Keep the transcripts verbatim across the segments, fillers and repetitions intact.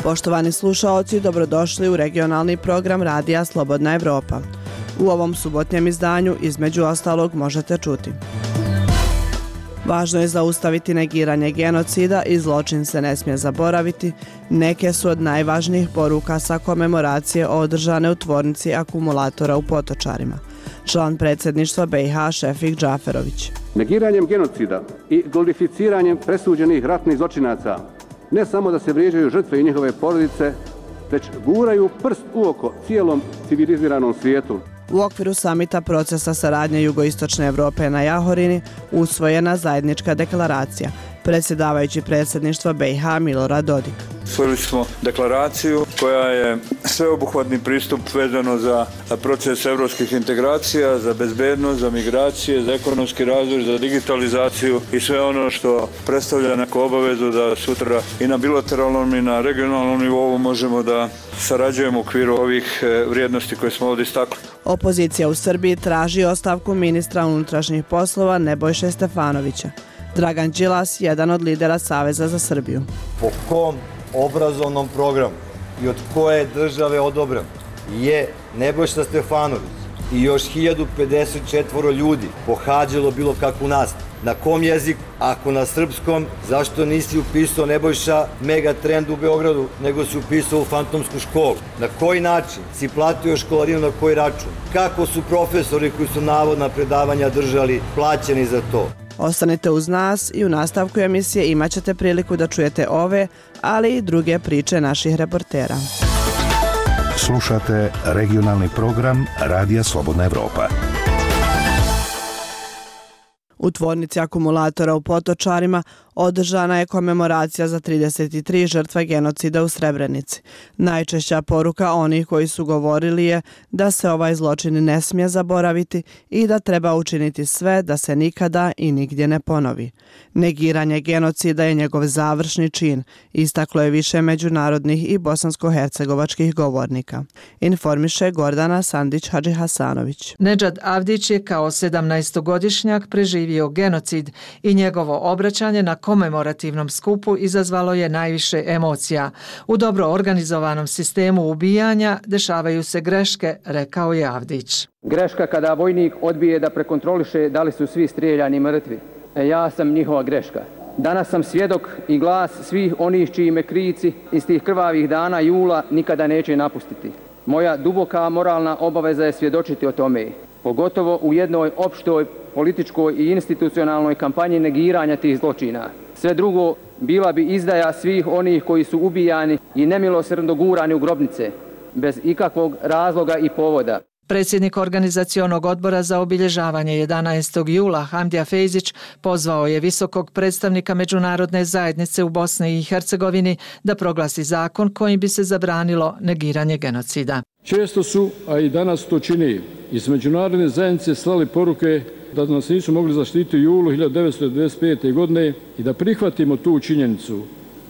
Poštovani slušaoci, dobrodošli u regionalni program Radija Slobodna Evropa. U ovom subotnjem izdanju, između ostalog, možete čuti. Važno je zaustaviti negiranje genocida i zločin se ne smije zaboraviti. Neke su od najvažnijih poruka sa komemoracije održane u tvornici akumulatora u Potočarima. Član predsjedništva B i H Šefik Džaferović. Negiranjem genocida i glorificiranjem presuđenih ratnih zločinaca ne samo da se vrijeđaju žrtve i njihove porodice, već guraju prst u oko cijelom civiliziranom svijetu. U okviru samita procesa saradnje Jugoistočne Evrope na Jahorini usvojena zajednička deklaracija. Predsjedavajući predsjedništva B i H Milorad Dodik. Usvojili smo deklaraciju koja je sveobuhvatni pristup vezano za proces evropskih integracija, za bezbednost, za migracije, za ekonomski razvoj, za digitalizaciju i sve ono što predstavlja neku obavezu da sutra i na bilateralnom i na regionalnom nivou možemo da sarađujemo u okviru ovih vrijednosti koje smo ovdje istakli. Opozicija u Srbiji traži ostavku ministra unutrašnjih poslova Nebojše Stefanovića. Dragan Đilas, jedan od lidera Saveza za Srbiju. Po kom obrazovnom programu i od koje države odobren je Nebojša Stefanović i još hiljadu pedeset četiri ljudi pohađalo bilo kakvu nastavu? Na kom jeziku? Ako na srpskom, zašto nisi upisao Nebojša Megatrend u Beogradu, nego si upisao u fantomsku školu? Na koji način si platio školarinu, na koji račun? Kako su profesori koji su navodna predavanja držali plaćeni za to? Ostanite uz nas i u nastavku emisije imat ćete priliku da čujete ove, ali i druge priče naših reportera. Slušate regionalni program Radija Slobodna Evropa. U tvornici akumulatora u Potočarima održana je komemoracija za trideset tri žrtve genocida u Srebrenici. Najčešća poruka onih koji su govorili je da se ovaj zločin ne smije zaboraviti i da treba učiniti sve da se nikada i nigdje ne ponovi. Negiranje genocida je njegov završni čin, istaklo je više međunarodnih i bosansko-hercegovačkih govornika. Informiše Gordana Sandić-Hadžihasanović. Nedžad Avdić je kao sedamnaestogodišnjak preživio genocid i njegovo obraćanje na komemorativnom skupu izazvalo je najviše emocija. U dobro organizovanom sistemu ubijanja dešavaju se greške, rekao je Avdić. Greška kada vojnik odbije da prekontroliše da li su svi strijeljani mrtvi. E, ja sam njihova greška. Danas sam svjedok i glas svih onih čiji me krici iz tih krvavih dana jula nikada neće napustiti. Moja duboka moralna obaveza je svjedočiti o tome, pogotovo u jednoj opštoj političkoj i institucionalnoj kampanji negiranja tih zločina. Sve drugo bila bi izdaja svih onih koji su ubijani i nemilosrdno gurani u grobnice, bez ikakvog razloga i povoda. Predsjednik organizacionog odbora za obilježavanje jedanaestog jula Hamdija Fejzić pozvao je visokog predstavnika međunarodne zajednice u Bosni i Hercegovini da proglasi zakon kojim bi se zabranilo negiranje genocida. Često su, a i danas to čini, iz međunarodne zajednice slali poruke da nas nisu mogli zaštititi u julu hiljadu devetsto devedeset pete. godine i da prihvatimo tu činjenicu.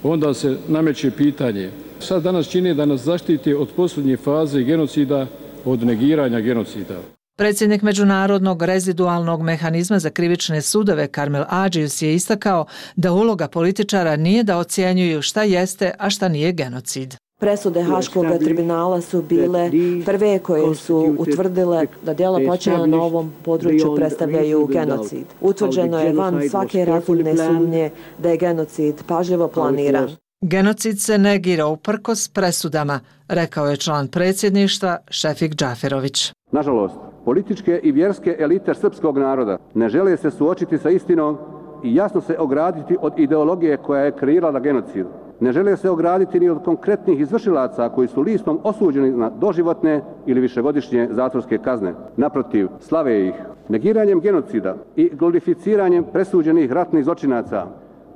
Onda se nameće pitanje. Sad danas čini da nas zaštiti od posljednje faze genocida, od negiranja genocida. Predsjednik Međunarodnog rezidualnog mehanizma za krivične sudove Karmel Adžius je istakao da uloga političara nije da ocjenjuju šta jeste, a šta nije genocid. Presude Haškog tribunala su bile prve koje su utvrdile da djela počinjena na ovom području predstavljaju genocid. Utvrđeno je van svake razumne sumnje da je genocid pažljivo planiran. Genocid se negira uprkos presudama, rekao je član predsjedništva Šefik Džaferović. Nažalost, političke i vjerske elite srpskog naroda ne žele se suočiti sa istinom i jasno se ograditi od ideologije koja je kreirala genocid. Ne žele se ograditi ni od konkretnih izvršilaca koji su listom osuđeni na doživotne ili višegodišnje zatvorske kazne. Naprotiv, slave ih. Negiranjem genocida i glorificiranjem presuđenih ratnih zločinaca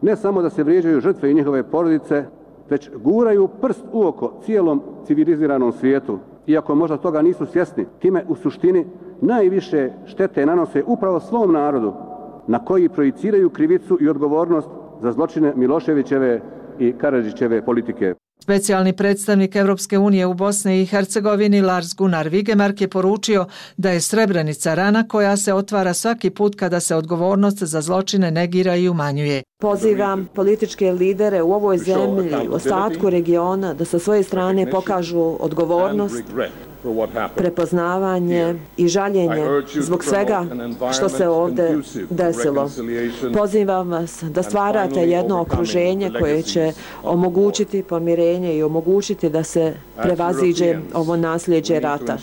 ne samo da se vrijeđaju žrtve i njihove porodice, već guraju prst u oko cijelom civiliziranom svijetu. Iako možda toga nisu svjesni, time u suštini najviše štete nanose upravo svom narodu, na koji projiciraju krivicu i odgovornost za zločine Miloševićeve i Karadžićeve politike. Specijalni predstavnik Evropske unije u Bosni i Hercegovini Lars Gunnar Vigemark je poručio da je Srebrenica rana koja se otvara svaki put kada se odgovornost za zločine negira i umanjuje. Pozivam političke lidere u ovoj zemlji, u ostatku regiona, da sa svoje strane pokažu odgovornost, prepoznavanje i žaljenje zbog svega što se ovdje desilo. Pozivam vas da stvarate jedno okruženje koje će omogućiti pomirenje i omogućiti da se prevaziđe ovo nasljeđe rata.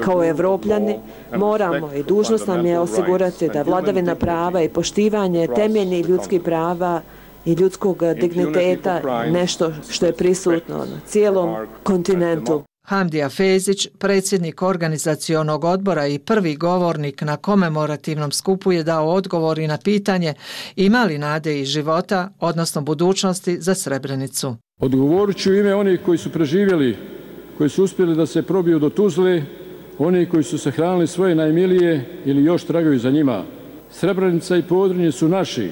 Kao Evropljani moramo i dužnost nam je osigurati da vladavina prava i poštivanje temeljnih ljudskih prava i ljudskog digniteta nešto što je prisutno na cijelom kontinentu. Hamdija Fezić, predsjednik organizacionog odbora i prvi govornik na komemorativnom skupu, je dao odgovor i na pitanje ima li nade i života, odnosno budućnosti za Srebrenicu. Odgovorit ću ime onih koji su preživjeli, koji su uspjeli da se probiju do Tuzle, oni koji su sahranili svoje najmilije ili još tragaju za njima. Srebrenica i Podrinje su naši.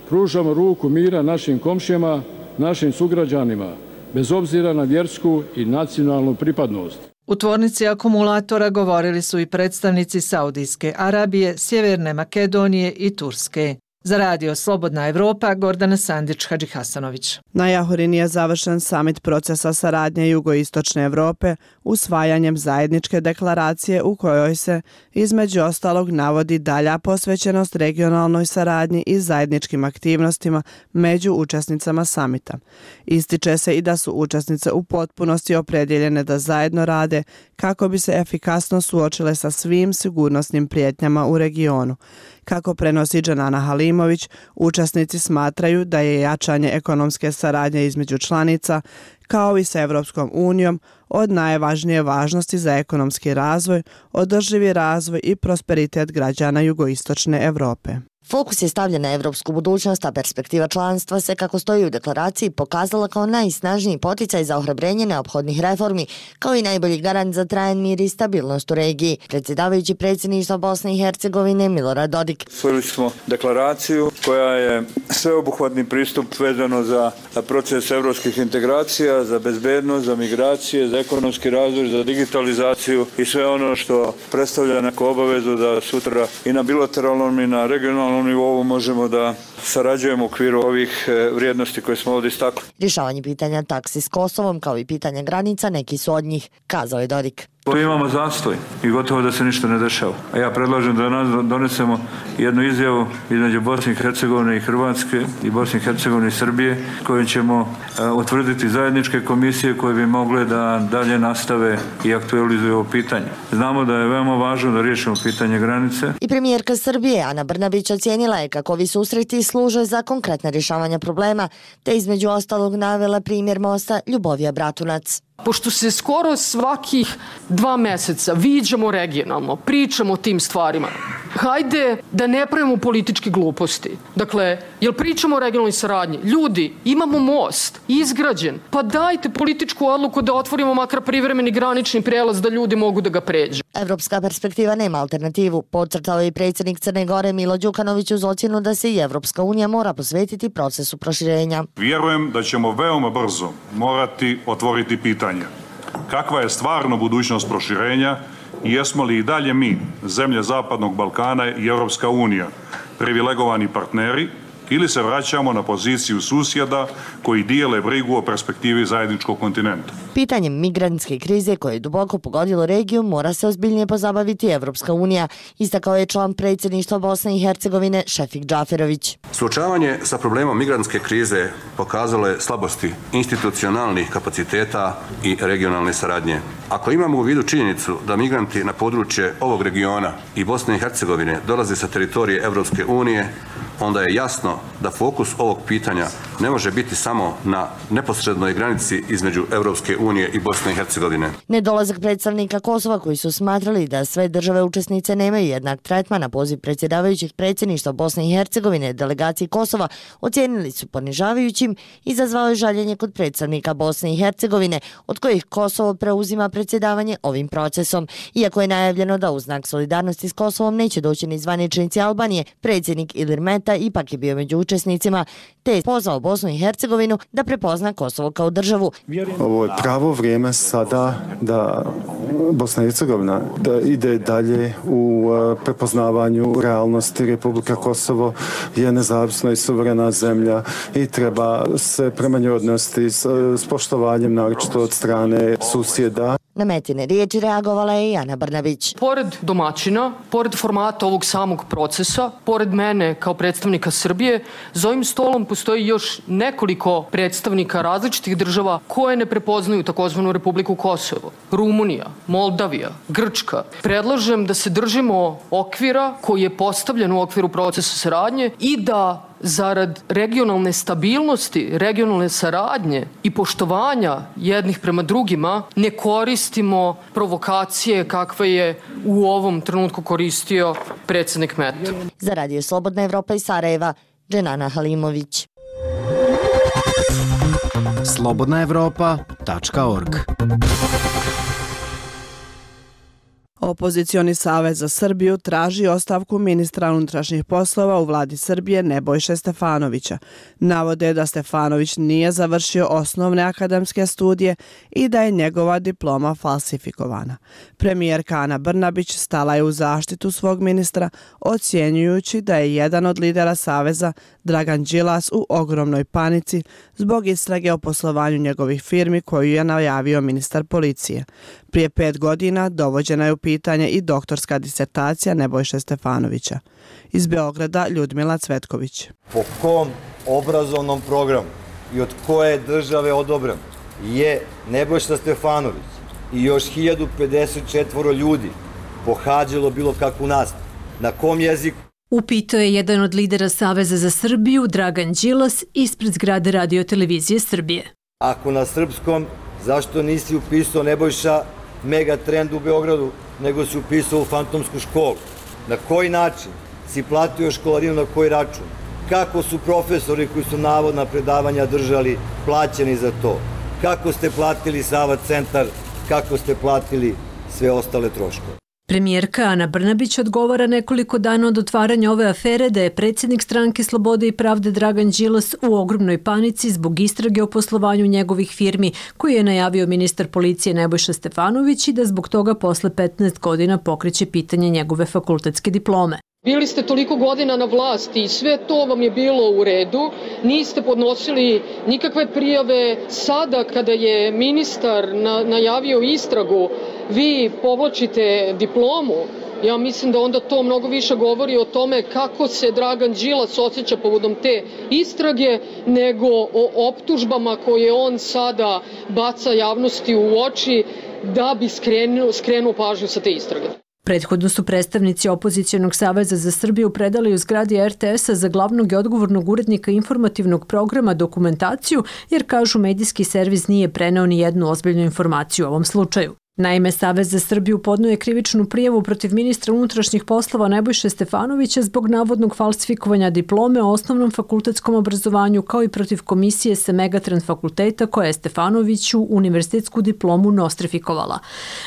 Pružamo ruku mira našim komšijama, našim sugrađanima, bez obzira na vjersku i nacionalnu pripadnost. U tvornici akumulatora govorili su i predstavnici Saudijske Arabije, Sjeverne Makedonije i Turske. Za radio Slobodna Evropa, Gordana Sandić-Hadžihasanović. Na Jahorini je završen samit procesa saradnje Jugoistočne Evrope usvajanjem zajedničke deklaracije u kojoj se između ostalog navodi dalja posvećenost regionalnoj saradnji i zajedničkim aktivnostima među učesnicama samita. Ističe se i da su učesnice u potpunosti opredjeljene da zajedno rade kako bi se efikasno suočile sa svim sigurnosnim prijetnjama u regionu. Kako prenosi Džanana Halimović, učesnici smatraju da je jačanje ekonomske saradnje između članica, kao i sa Evropskom unijom, od najvažnije važnosti za ekonomski razvoj, održivi razvoj i prosperitet građana Jugoistočne Evrope. Fokus je stavljen na evropsku budućnost, a perspektiva članstva se, kako stoji u deklaraciji, pokazala kao najsnažniji poticaj za ohrabrenje neophodnih reformi, kao i najbolji garant za trajan mir i stabilnost u regiji. Predsjedavajući predsjedništva Bosne i Hercegovine Milorad Dodik. Usvojili smo deklaraciju koja je sveobuhvatni pristup vezano za proces evropskih integracija, za bezbednost, za migracije, za ekonomski razvoj, za digitalizaciju i sve ono što predstavlja neku obavezu da sutra i na bilateralnom i na regionalnom nivou možemo da sarađujemo u okviru ovih vrijednosti koje smo ovdje istakli. Rješavanje pitanja taksi s Kosovom kao i pitanja granica neki su od njih, kazao je Dodik. Mi imamo zastoj i gotovo da se ništa ne dešava. A ja predlažem da nas donesemo jednu izjavu između Bosne i Hercegovine i Hrvatske i Bosne i Hercegovine i Srbije, kojom ćemo utvrditi zajedničke komisije koje bi mogle da dalje nastave i aktualizuju ovo pitanje. Znamo da je veoma važno da riješimo pitanje granice. I premijerka Srbije Ana Brnabić ocijenila je kako ovi susreti služe za konkretna rješavanja problema, te između ostalog navela primjer mosta Ljubovija Bratunac. Pošto se skoro svakih dva meseca viđamo regionalno, pričamo o tim stvarima, hajde da ne pravimo političke gluposti. Dakle, jel pričamo o regionalnoj saradnji? Ljudi, imamo most, izgrađen, pa dajte političku odluku da otvorimo makar privremeni granični prelaz da ljudi mogu da ga pređu. Evropska perspektiva nema alternativu, podcrtao je i predsjednik Crne Gore Milo Đukanović uz ocjenu da se i Evropska unija mora posvetiti procesu proširenja. Vjerujem da ćemo veoma brzo morati otvoriti pitanje kakva je stvarno budućnost proširenja i jesmo li i dalje mi, zemlje Zapadnog Balkana i Europska unija, privilegovani partneri ili se vraćamo na poziciju susjeda koji dijele brigu o perspektivi zajedničkog kontinenta. Pitanjem migrantske krize koje je duboko pogodilo regiju mora se ozbiljnije pozabaviti Evropska unija, istakao je član predsjedništva Bosne i Hercegovine Šefik Džaferović. Suočavanje sa problemom migrantske krize pokazalo je slabosti institucionalnih kapaciteta i regionalne saradnje. Ako imamo u vidu činjenicu da migranti na područje ovog regiona i Bosne i Hercegovine dolaze sa teritorije Evropske unije, onda je jasno da fokus ovog pitanja ne može biti samo na neposrednoj granici između Evropske unije i Bosne i Hercegovine. Nedolazak predstavnika Kosova koji su smatrali da sve države učesnice nemaju jednak tretman na poziv predsjedavajućih predsjedništva Bosne i Hercegovine delegaciji Kosova ocijenili su ponižavajućim i izazvao je žaljenje kod predstavnika Bosne i Hercegovine, od kojih Kosovo preuzima predsjedavanje ovim procesom. Iako je najavljeno da u znak solidarnosti s Kosovom neće doći ni zvaničnici Albanije, predsjednik Ilir Meta fakulteta ipak je bio među učesnicima, te je pozvao Bosnu i Hercegovinu da prepozna Kosovo kao državu. Ovo je pravo vrijeme sada da Bosna i Hercegovina da ide dalje u prepoznavanju realnosti. Republika Kosovo je nezavisna i suverena zemlja i treba se prema njoj odnositi s, s poštovanjem, naročito od strane susjeda. Na Metine riječi reagovala je i Ana Brnabić. Pored domaćina, pored formata ovog samog procesa, pored mene kao predstavnika Srbije, za ovim stolom postoji još nekoliko predstavnika različitih država koje ne prepoznaju takozvanu Republiku Kosovo. Rumunija, Moldavija, Grčka. Predlažem da se držimo okvira koji je postavljen u okviru procesa saradnje i da zarad regionalne stabilnosti, regionalne saradnje i poštovanja jednih prema drugima ne koristimo provokacije kakve je u ovom trenutku koristio predsjednik Meta. Za Radio Slobodna Evropa iz Sarajeva, Dženana Halimović. slobodna evropa tačka org. Opozicioni savez za Srbiju traži ostavku ministra unutrašnjih poslova u vladi Srbije Nebojše Stefanovića. Navode da Stefanović nije završio osnovne akademske studije i da je njegova diploma falsifikovana. Premijerka Ana Brnabić stala je u zaštitu svog ministra, ocjenjujući da je jedan od lidera saveza, Dragan Đilas, u ogromnoj panici zbog istrage o poslovanju njegovih firmi koju je najavio ministar policije. Prije pet godina dovođena je u pitanje i doktorska disertacija Nebojše Stefanovića. Iz Beograda Ljudmila Cvetković. Po kom obrazovnom programu i od koje države odobren je Nebojša Stefanović i još hiljadu pedeset četiri ljudi pohađalo bilo kakvu nastavu? Na kom jeziku? Upitao je jedan od lidera Saveza za Srbiju, Dragan Đilas, ispred zgrade Radio televizije Srbije. Ako na srpskom, zašto nisi upisao Nebojša Megatrend u Beogradu, nego si upisao u fantomsku školu? Na koji način si platio školarinu, na koji račun? Kako su profesori koji su navodna predavanja držali plaćeni za to? Kako ste platili Sava centar? Kako ste platili sve ostale troškove? Premijerka Ana Brnabić odgovara nekoliko dana od otvaranja ove afere da je predsjednik stranke Slobode i pravde Dragan Đilas u ogromnoj panici zbog istrage o poslovanju njegovih firmi koji je najavio ministar policije Nebojša Stefanović i da zbog toga posle petnaest godina pokreće pitanje njegove fakultetske diplome. Bili ste toliko godina na vlasti i sve to vam je bilo u redu, niste podnosili nikakve prijave. Sada kada je ministar na, najavio istragu, vi povlačite diplomu. Ja mislim da onda to mnogo više govori o tome kako se Dragan Đilas osjeća povodom te istrage nego o optužbama koje on sada baca javnosti u oči da bi skrenuo, skrenuo pažnju sa te istrage. Prethodno su predstavnici Opozicijonog saveza za Srbiju predali u zgradi er te esa za glavnog i odgovornog urednika informativnog programa dokumentaciju, jer kažu medijski servis nije preneo ni jednu ozbiljnu informaciju u ovom slučaju. Naime, Savez za Srbiju podnio je krivičnu prijavu protiv ministra unutrašnjih poslova Nebojše Stefanovića zbog navodnog falsifikovanja diplome o osnovnom fakultetskom obrazovanju, kao i protiv komisije sa Megatrend fakulteta koja je Stefanoviću univerzitetsku diplomu nostrifikovala.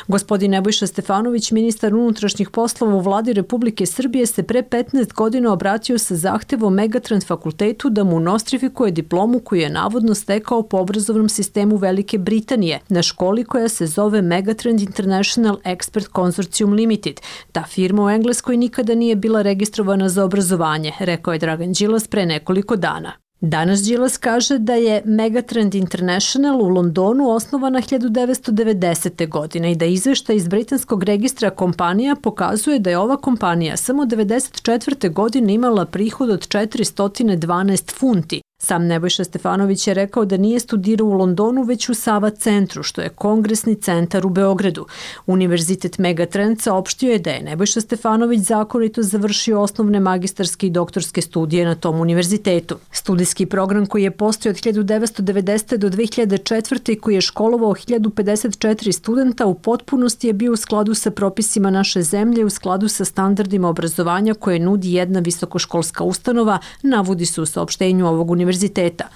Gospodin Nebojša Stefanović, ministar unutrašnjih poslova u vladi Republike Srbije, se pre petnaest godina obratio sa zahtevom Megatrend fakultetu da mu nostrifikuje diplomu koju je navodno stekao po obrazovnom sistemu Velike Britanije na školi koja se zove Megatrend International Expert Consortium Limited. Ta firma u Engleskoj nikada nije bila registrovana za obrazovanje, rekao je Dragan Đilas pre nekoliko dana. Danas Đilas kaže da je Megatrend International u Londonu osnovana hiljadu devetsto devedesete. godine i da izveštaj iz britanskog registra kompanija pokazuje da je ova kompanija samo devedeset četvrte. godine imala prihod od četiristo dvanaest funti. Sam Nebojša Stefanović je rekao da nije studirao u Londonu, već u Sava centru, što je kongresni centar u Beogradu. Univerzitet Megatrend saopštio je da je Nebojša Stefanović zakonito završio osnovne magistarske i doktorske studije na tom univerzitetu. Studijski program koji je postojao od hiljadu devetsto devedesete. do dve hiljade četvrte. i koji je školovao hiljadu pedeset četiri studenta u potpunosti je bio u skladu sa propisima naše zemlje, u skladu sa standardima obrazovanja koje nudi jedna visokoškolska ustanova, navodi se u saopštenju ovog univerziteta. univerziteta.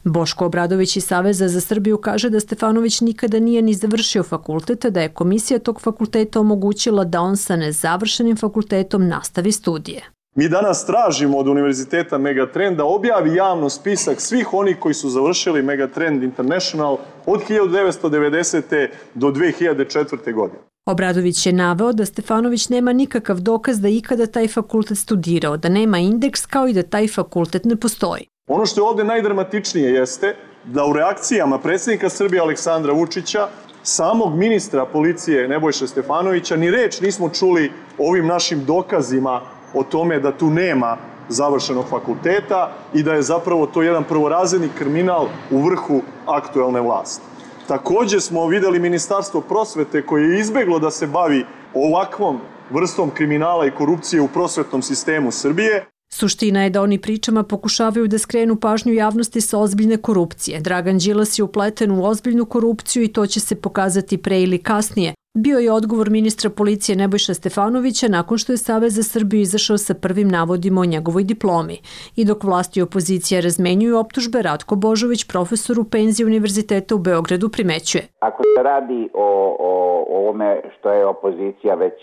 Boško Obradović iz Saveza za Srbiju kaže da Stefanović nikada nije ni završio fakultet, da je komisija tog fakulteta omogućila da on sa nezavršenim fakultetom nastavi studije. Mi danas tražimo od Univerziteta Megatrend da objavi javno spisak svih onih koji su završili Megatrend International od hiljadu devetsto devedesete. do dve hiljade četvrte. godine. Obradović je naveo da Stefanović nema nikakav dokaz da ikada taj fakultet studirao, da nema indeks kao i da taj fakultet ne postoji. Ono što je ovdje najdramatičnije jeste da u reakcijama predsjednika Srbije Aleksandra Vučića, samog ministra policije Nebojše Stefanovića, ni reč nismo čuli o ovim našim dokazima o tome da tu nema završenog fakulteta i da je zapravo to jedan prvorazredni kriminal u vrhu aktuelne vlasti. Također smo vidjeli Ministarstvo prosvete koje je izbjeglo da se bavi ovakvom vrstom kriminala i korupcije u prosvetnom sistemu Srbije. Suština je da oni pričama pokušavaju da skrenu pažnju javnosti sa ozbiljne korupcije. Dragan Đilas je upleten u ozbiljnu korupciju i to će se pokazati pre ili kasnije. Bio je odgovor ministra policije Nebojša Stefanovića nakon što je Savez za Srbiju izašao sa prvim navodima o njegovoj diplomi. I dok vlasti i opozicija razmenjuju optužbe, Ratko Božović, profesor u penziji Univerziteta u Beogradu, primećuje. Ako se radi o, o, o ovome što je opozicija već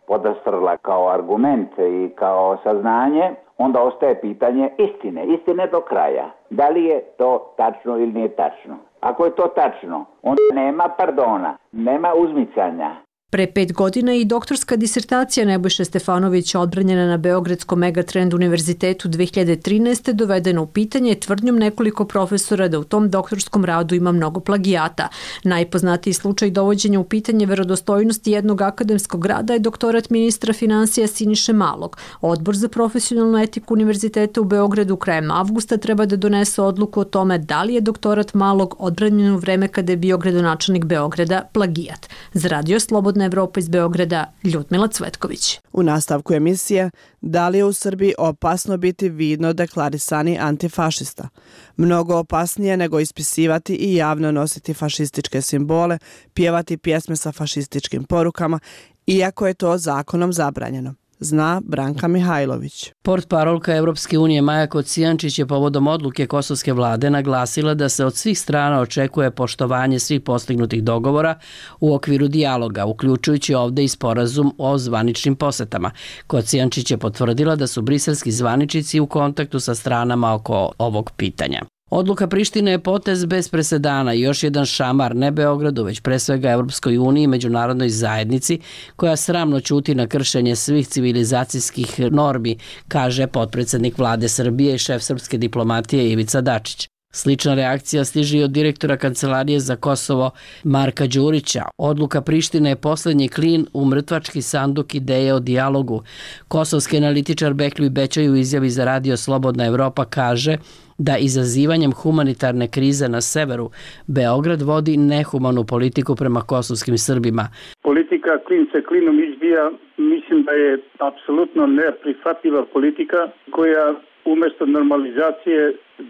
podastrla kao argument i kao saznanje, onda ostaje pitanje istine, istine do kraja. Da li je to tačno ili nije tačno? Ako je to tačno, onda nema pardona, nema uzmicanja. Pre pet godina i doktorska disertacija Nebojše Stefanovića odbranjena na Beogradskom Megatrend univerzitetu dve hiljade trinaeste. dovedena u pitanje tvrdnjom nekoliko profesora da u tom doktorskom radu ima mnogo plagijata. Najpoznatiji slučaj dovođenja u pitanje verodostojnosti jednog akademskog rada je doktorat ministra finansija Siniše Malog. Odbor za profesionalnu etiku Univerziteta u Beogradu krajem avgusta treba da donese odluku o tome da li je doktorat Malog odbranjen u vreme kada je bio gradonačelnik Beograda plagijat. Za Radio Slobodna Evropa iz Beograda, Ljudmila Cvetković. U nastavku emisije, da li je u Srbiji opasno biti vidno deklarisani antifašista? Mnogo opasnije nego ispisivati i javno nositi fašističke simbole, pjevati pjesme sa fašističkim porukama, iako je to zakonom zabranjeno. Zna Branka Mihajlović. Portparolka Evropske unije Maja Kocijančić je povodom odluke kosovske vlade naglasila da se od svih strana očekuje poštovanje svih postignutih dogovora u okviru dijaloga, uključujući ovde i sporazum o zvaničnim posetama. Kocijančić je potvrdila da su briselski zvaničnici u kontaktu sa stranama oko ovog pitanja. Odluka Prištine je potez bez presedana i još jedan šamar ne Beogradu, već pre svega Evropskoj uniji i međunarodnoj zajednici, koja sramno ćuti na kršenje svih civilizacijskih normi, kaže potpredsjednik vlade Srbije i šef srpske diplomatije Ivica Dačić. Slična reakcija stiže i od direktora Kancelarije za Kosovo Marka Đurića. Odluka Prištine je posljednji klin u mrtvački sanduk ideje o dijalogu. Kosovski analitičar Bekljuj Bećaj u izjavi za Radio Slobodna Evropa kaže da izazivanjem humanitarne krize na severu Beograd vodi nehumanu politiku prema kosovskim Srbima. Politika klin se klinom izbija, mislim da je apsolutno neprihvatljiva politika koja umjesto normalizacije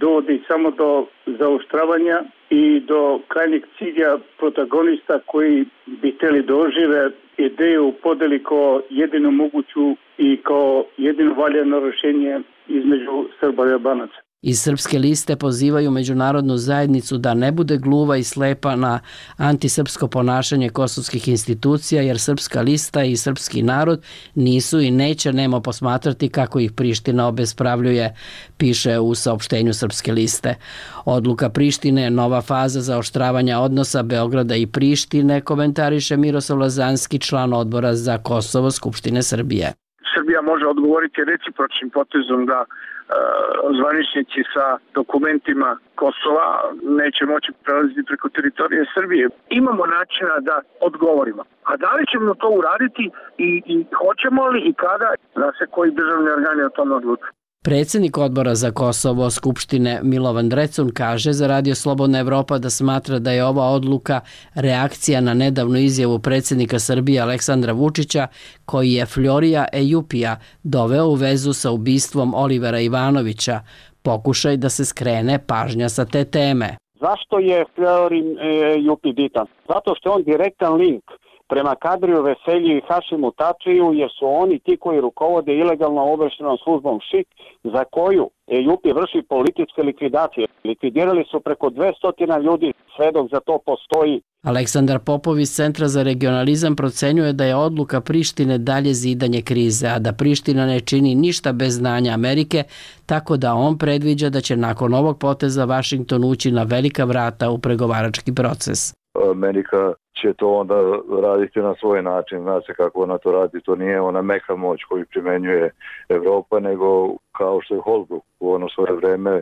dovodi samo do zaoštravanja i do krajnjeg cilja protagonista koji bi htjeli da ožive ideju podeli kao jedinu moguću i kao jedino valjano rješenje između Srba i Albanaca. Iz Srpske liste pozivaju međunarodnu zajednicu da ne bude gluva i slepa na antisrpsko ponašanje kosovskih institucija, jer Srpska lista i srpski narod nisu i neće nemo posmatrati kako ih Priština obespravljuje, piše u saopštenju Srpske liste. Odluka Prištine je nova faza zaoštravanja odnosa Beograda i Prištine, komentariše Miroslav Lazanski, član odbora za Kosovo Skupštine Srbije. Srbija može odgovoriti recipročnim potezom da zvaničnici sa dokumentima Kosova neće moći prelaziti preko teritorije Srbije. Imamo načina da odgovorimo. A da li ćemo to uraditi i, i hoćemo li i kada, da se koji državni organi o tome odlučuju. Predsjednik odbora za Kosovo Skupštine Milovan Drecun kaže za Radio Slobodna Evropa da smatra da je ova odluka reakcija na nedavnu izjavu predsjednika Srbije Aleksandra Vučića, koji je Florija Ejupija doveo u vezu sa ubistvom Olivera Ivanovića, pokušaj da se skrene pažnja sa te teme. Zašto je Florin Ejupi bitan? Zato što je on direktan link prema Kadriju Veselji i Hašimu Tačiju, jer su oni ti koji rukovode ilegalnom obavještajnom službom ŠIK, za koju E J U P vrši političke likvidacije. Likvidirali su preko dvesta ljudi, sve dok za to postoji. Aleksandar Popov iz Centra za regionalizam procenjuje da je odluka Prištine dalje zidanje krize, a da Priština ne čini ništa bez znanja Amerike, tako da on predviđa da će nakon ovog poteza Vašington ući na velika vrata u pregovarački proces. Amerika će to onda raditi na svoj način. Zna se kako ona to radi. To nije ona meka moć koju primenjuje Evropa, nego kao što je Holbrooke u ono svoje vreme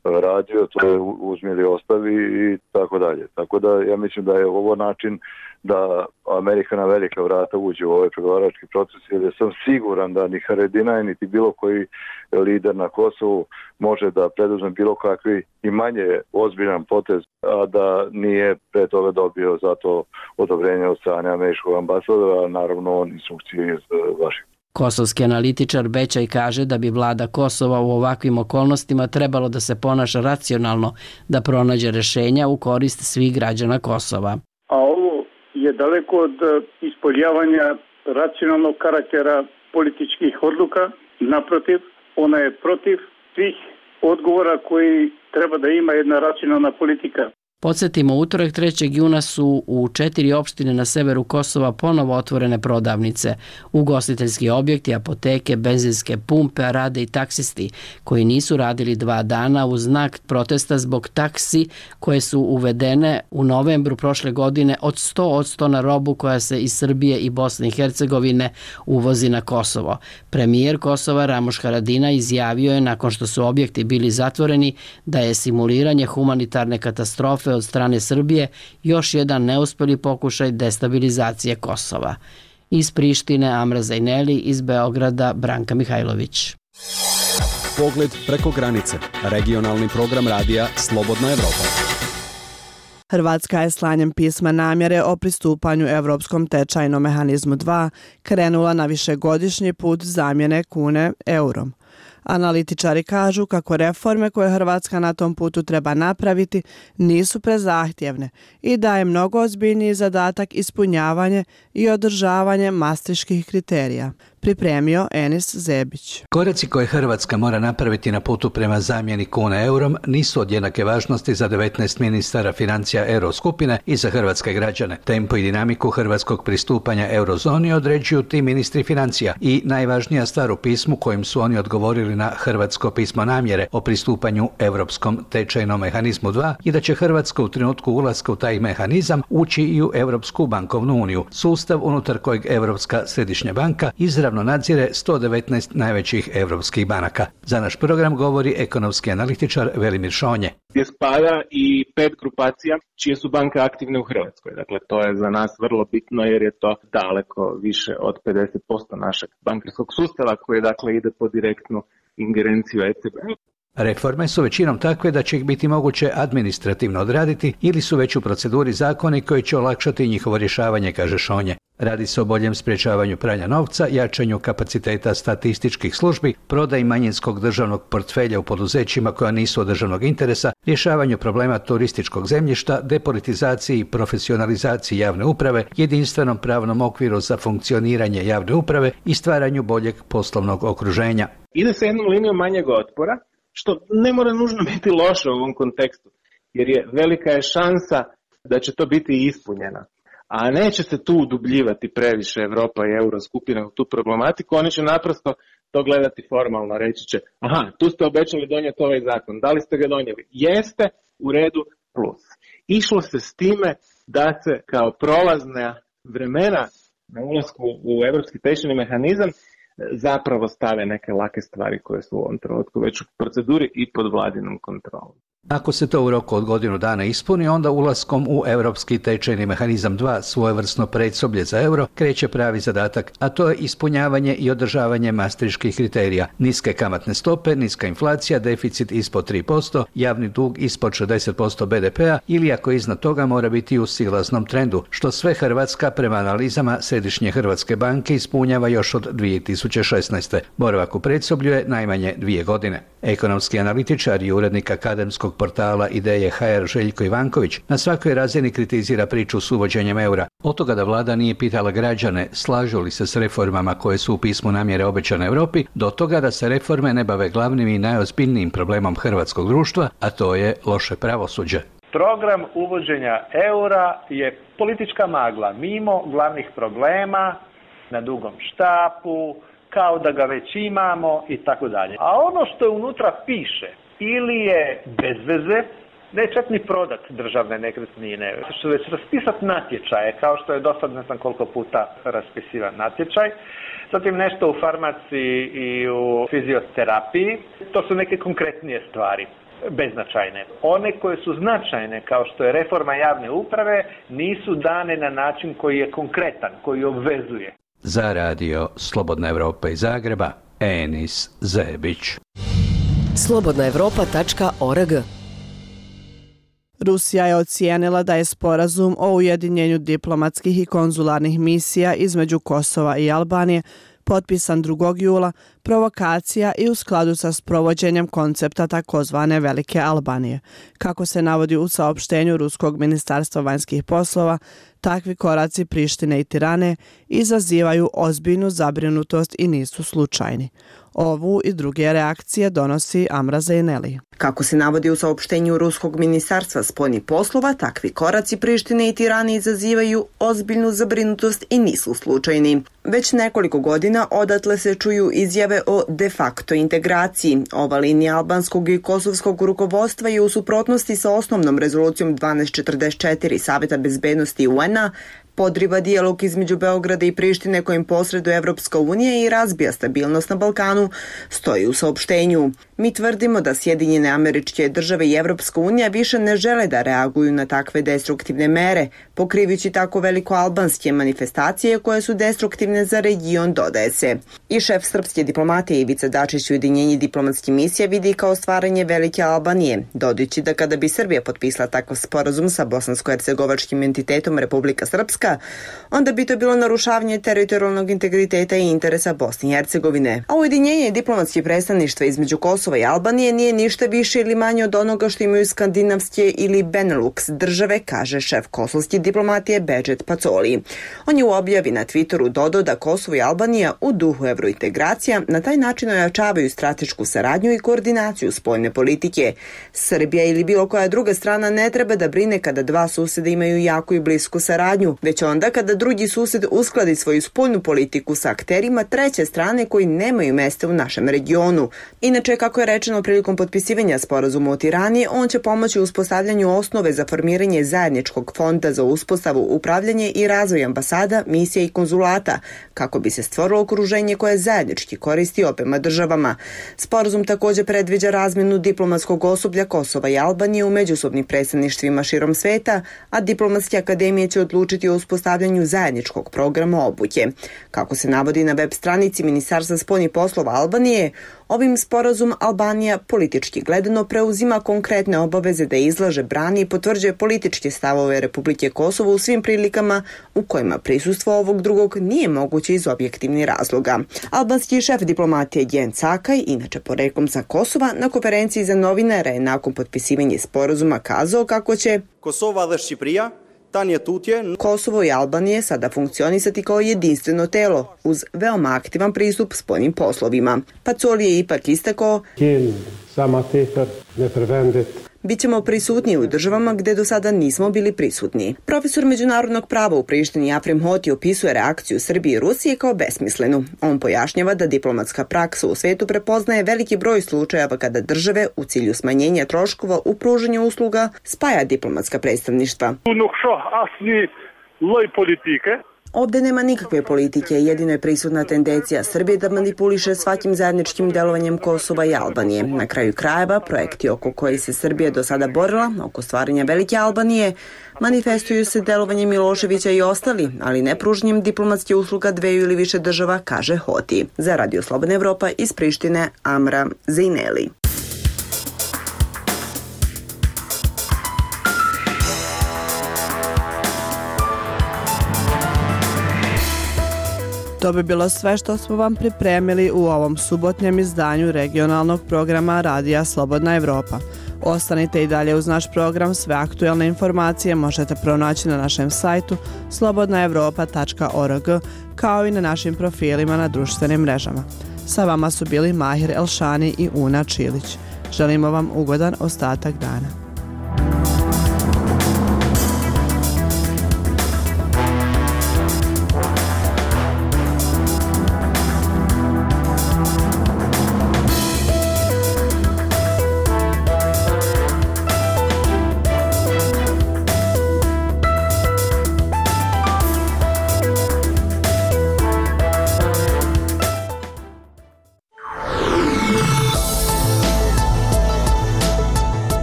radio, to je uzmi ili ostavi i tako dalje. Tako da ja mislim da je ovo način da Amerika na velika vrata uđe u ovaj pregovarački proces, jer sam siguran da ni Haradinaj niti bilo koji lider na Kosovu može da preduzme bilo kakvi i manje ozbiljan potez, a da nije pre toga dobio za to odobrenje od strane američkog ambasadora, a naravno on instrukcije iz Vašingtona. Kosovski analitičar Bećaj kaže da bi vlada Kosova u ovakvim okolnostima trebalo da se ponaša racionalno, da pronađe rešenja u korist svih građana Kosova. A ovo je daleko od ispoljavanja racionalnog karaktera političkih odluka. Naprotiv, ona je protiv svih odgovora koji treba da ima jedna racionalna politika. Podsjetimo, utorak trećeg juna su u četiri opštine na severu Kosova ponovo otvorene prodavnice. Ugostiteljski objekti, apoteke, benzinske pumpe, a rade i taksisti koji nisu radili dva dana u znak protesta zbog taksi koje su uvedene u novembru prošle godine od sto posto na robu koja se iz Srbije i Bosne i Hercegovine uvozi na Kosovo. Premijer Kosova Ramuš Haradinaj izjavio je nakon što su objekti bili zatvoreni da je simuliranje humanitarne katastrofe od strane Srbije još jedan neuspjeli pokušaj destabilizacije Kosova. Iz Prištine Amra Zajneli, iz Beograda Branka Mihajlović. Pogled preko granice. Regionalni program radija Slobodna Evropa. Hrvatska je slanjem pisma namjere o pristupanju Evropskom tečajnom mehanizmu dva krenula na višegodišnji put zamjene kune eurom. Analitičari kažu kako reforme koje Hrvatska na tom putu treba napraviti nisu prezahtjevne i da je mnogo ozbiljniji zadatak ispunjavanje i održavanje maastrichtskih kriterija. Pripremio Enis Zebić. Koraci koje Hrvatska mora napraviti na putu prema zamjeni kune eurom nisu od jednake važnosti za devetnaest ministara financija Euroskupine i za hrvatske građane. Tempo i dinamiku hrvatskog pristupanja eurozoni određuju ti ministri financija i najvažnija stvar u pismu kojim su oni odgovorili na hrvatsko pismo namjere o pristupanju Europskom tečajnom mehanizmu dva je da će Hrvatska u trenutku ulaska u taj mehanizam ući i u Europsku bankovnu uniju, sustav unutar kojeg Europska središnja banka izravno nadzire sto devetnaest najvećih europskih banaka. Za naš program govori ekonomski analitičar Velimir Šonje. Gdje spada i pet grupacija čije su banke aktivne u Hrvatskoj. Dakle, to je za nas vrlo bitno jer je to daleko više od pedeset posto našeg bankarskog sustava koji dakle ide po direktnu ingerenciju E C B. Reforme su većinom takve da će ih biti moguće administrativno odraditi ili su već u proceduri zakoni koji će olakšati njihovo rješavanje, kaže Šonje. Radi se o boljem sprječavanju pranja novca, jačanju kapaciteta statističkih službi, prodaji manjinskog državnog portfelja u poduzećima koja nisu od državnog interesa, rješavanju problema turističkog zemljišta, depolitizaciji i profesionalizaciji javne uprave, jedinstvenom pravnom okviru za funkcioniranje javne uprave i stvaranju boljeg poslovnog okruženja. Ide se jednom linijom manjeg otpora, što ne mora nužno biti loše u ovom kontekstu, jer je velika je šansa da će to biti ispunjena. A neće se tu udubljivati previše Evropa i Euroskupina u tu problematiku, oni će naprosto to gledati formalno, reći će, aha, tu ste obećali donijeti ovaj zakon, da li ste ga donijeli? Jeste, u redu, plus. Išlo se s time da se kao prolazna vremena na ulasku u Evropski tečajni mehanizam zapravo stave neke lake stvari koje su u ovom trenutku već u proceduri i pod vladinom kontrolom. Ako se to u roku od godinu dana ispuni, onda ulaskom u Europski tečajni mehanizam dva, svojevrsno predsoblje za euro, kreće pravi zadatak, a to je ispunjavanje i održavanje maastrichtskih kriterija. Niske kamatne stope, niska inflacija, deficit ispod tri posto, javni dug ispod šezdeset posto B D P-a ili ako iznad toga mora biti u silaznom trendu, što sve Hrvatska prema analizama Središnje Hrvatske banke ispunjava još od dvije tisuće šesnaeste. Boravak u predsoblju je najmanje dvije godine. Ekonomski analitičar i urednik akademskog albanskog portala Ideje ha er Željko Ivanković na svakoj razini kritizira priču s uvođenjem eura. Od toga da vlada nije pitala građane slažu li se s reformama koje su u pismu namjere obećane Europi, do toga da se reforme ne bave glavnim i najozbiljnijim problemom hrvatskog društva, a to je loše pravosuđe. Program uvođenja eura je politička magla, mimo glavnih problema, na dugom štapu, kao da ga već imamo i tako dalje. A ono što je unutra piše ili je bez veze, ne čak ni prodat državne nekretnine, što već raspisati natječaje, kao što je do sad ne znam koliko puta raspisivan natječaj, zatim nešto u farmaciji i u fizioterapiji, to su neke konkretnije stvari, beznačajne. One koje su značajne, kao što je reforma javne uprave, nisu dane na način koji je konkretan, koji obvezuje. Za radio Slobodna Evropa iz Zagreba, Enis Zebić. slobodna evropa tačka org. Rusija je ocijenila da je sporazum o ujedinjenju diplomatskih i konzularnih misija između Kosova i Albanije potpisan drugog jula, provokacija i u skladu sa sprovođenjem koncepta takozvane Velike Albanije. Kako se navodi u saopštenju Ruskog ministarstva vanjskih poslova, takvi koraci Prištine i Tirane izazivaju ozbiljnu zabrinutost i nisu slučajni. Ovu i druge reakcije donosi Amra Zejneli. Kako se navodi u saopštenju Ruskog ministarstva spoljnih poslova, takvi koraci Prištine i Tirane izazivaju ozbiljnu zabrinutost i nisu slučajni. Već nekoliko godina odatle se čuju izjave o de facto integraciji. Ova linija albanskog i kosovskog rukovodstva je u suprotnosti sa osnovnom rezolucijom dvanaest četrdeset četiri Saveta bezbednosti U N-a, podriva dijalog između Beograda i Prištine kojim posreduje Evropska unija i razbija stabilnost na Balkanu, stoji u saopštenju. Mi tvrdimo da Sjedinjene Američke Države i Evropska unija više ne žele da reaguju na takve destruktivne mere, pokrivajući tako velikoalbanske manifestacije koje su destruktivne za region, dodaje se. I šef srpske diplomatije Ivica Dačić ujedinjenje diplomatskih misija vidi kao stvaranje Velike Albanije, dodajući da kada bi Srbija potpisala takav sporazum sa bosansko-hercegovačkim entitetom Republika Srpska, onda bi to bilo narušavanje teritorijalnog integriteta i interesa Bosne i Hercegovine. A ujedinjenje diplomatskih predstavništva između Kosova i Albanije nije ništa više ili manje od onoga što imaju skandinavske ili Benelux države, kaže šef kosovske diplomatije Bedžet Pacoli. On je u objavi na Twitteru dodao da Kosovo i Albanija u duhu evrointegracija na taj način ojačavaju stratešku saradnju i koordinaciju spoljne politike. Srbija ili bilo koja druga strana ne treba da brine kada dva suseda imaju jaku i blisku saradnju, već onda kada drugi sused uskladi svoju spoljnu politiku sa akterima treće strane koji nemaju mesta u našem regionu. Inače, kako je rečeno prilikom potpisivanja sporazuma u Tirani, on će pomoći u uspostavljanju osnove za formiranje zajedničkog fonda za uspostavu, upravljanje i razvoj ambasada, misija i konzulata, kako bi se stvorilo okruženje koje zajednički koristi obema državama. Sporazum također predviđa razmjenu diplomatskog osoblja Kosova i Albanije u međusobnim predstavništvima širom sveta, a diplomatske akademije će odlučiti o uspostavljanju zajedničkog programa obuke. Kako se navodi na web stranici Ministarstva spoljnih poslova Albanije, ovim sporazum Albanija politički gledano preuzima konkretne obaveze da izlaže, brani i potvrđuje političke stavove Republike Kosovo u svim prilikama u kojima prisustvo ovog drugog nije moguće iz objektivnih razloga. Albanski šef diplomatije Gen Cakaj, inače poreklom sa Kosova, na konferenciji za novinare je nakon potpisivanja sporazuma kazao kako će Kosova dhe Shqipëria Kosovo i Albanije sada funkcionisati kao jedinstveno telo uz veoma aktivan pristup spoljnim poslovima. Pacoli je ipak istakao: Bićemo prisutni u državama gdje do sada nismo bili prisutni. Profesor međunarodnog prava u Prištini Afrim Hoti opisuje reakciju Srbije i Rusije kao besmislenu. On pojašnjava da diplomatska praksa u svetu prepoznaje veliki broj slučajeva kada države u cilju smanjenja troškova u pružanju usluga spaja diplomatska predstavništva. Ovdje nema nikakve politike, jedino je prisutna tendencija Srbije da manipuliše svakim zajedničkim delovanjem Kosova i Albanije. Na kraju krajeva, projekti oko koji se Srbija do sada borila, oko stvaranja Velike Albanije, manifestuju se delovanjem Miloševića i ostali, ali ne pružanjem diplomatske usluga dveju ili više država, kaže Hoti. Za Radio Slobodna Evropa iz Prištine, Amra Zejneli. To bi bilo sve što smo vam pripremili u ovom subotnjem izdanju regionalnog programa Radija Slobodna Evropa. Ostanite i dalje uz naš program, sve aktuelne informacije možete pronaći na našem sajtu slobodna evropa tačka org kao i na našim profilima na društvenim mrežama. Sa vama su bili Mahir Elšani i Una Čilić. Želimo vam ugodan ostatak dana.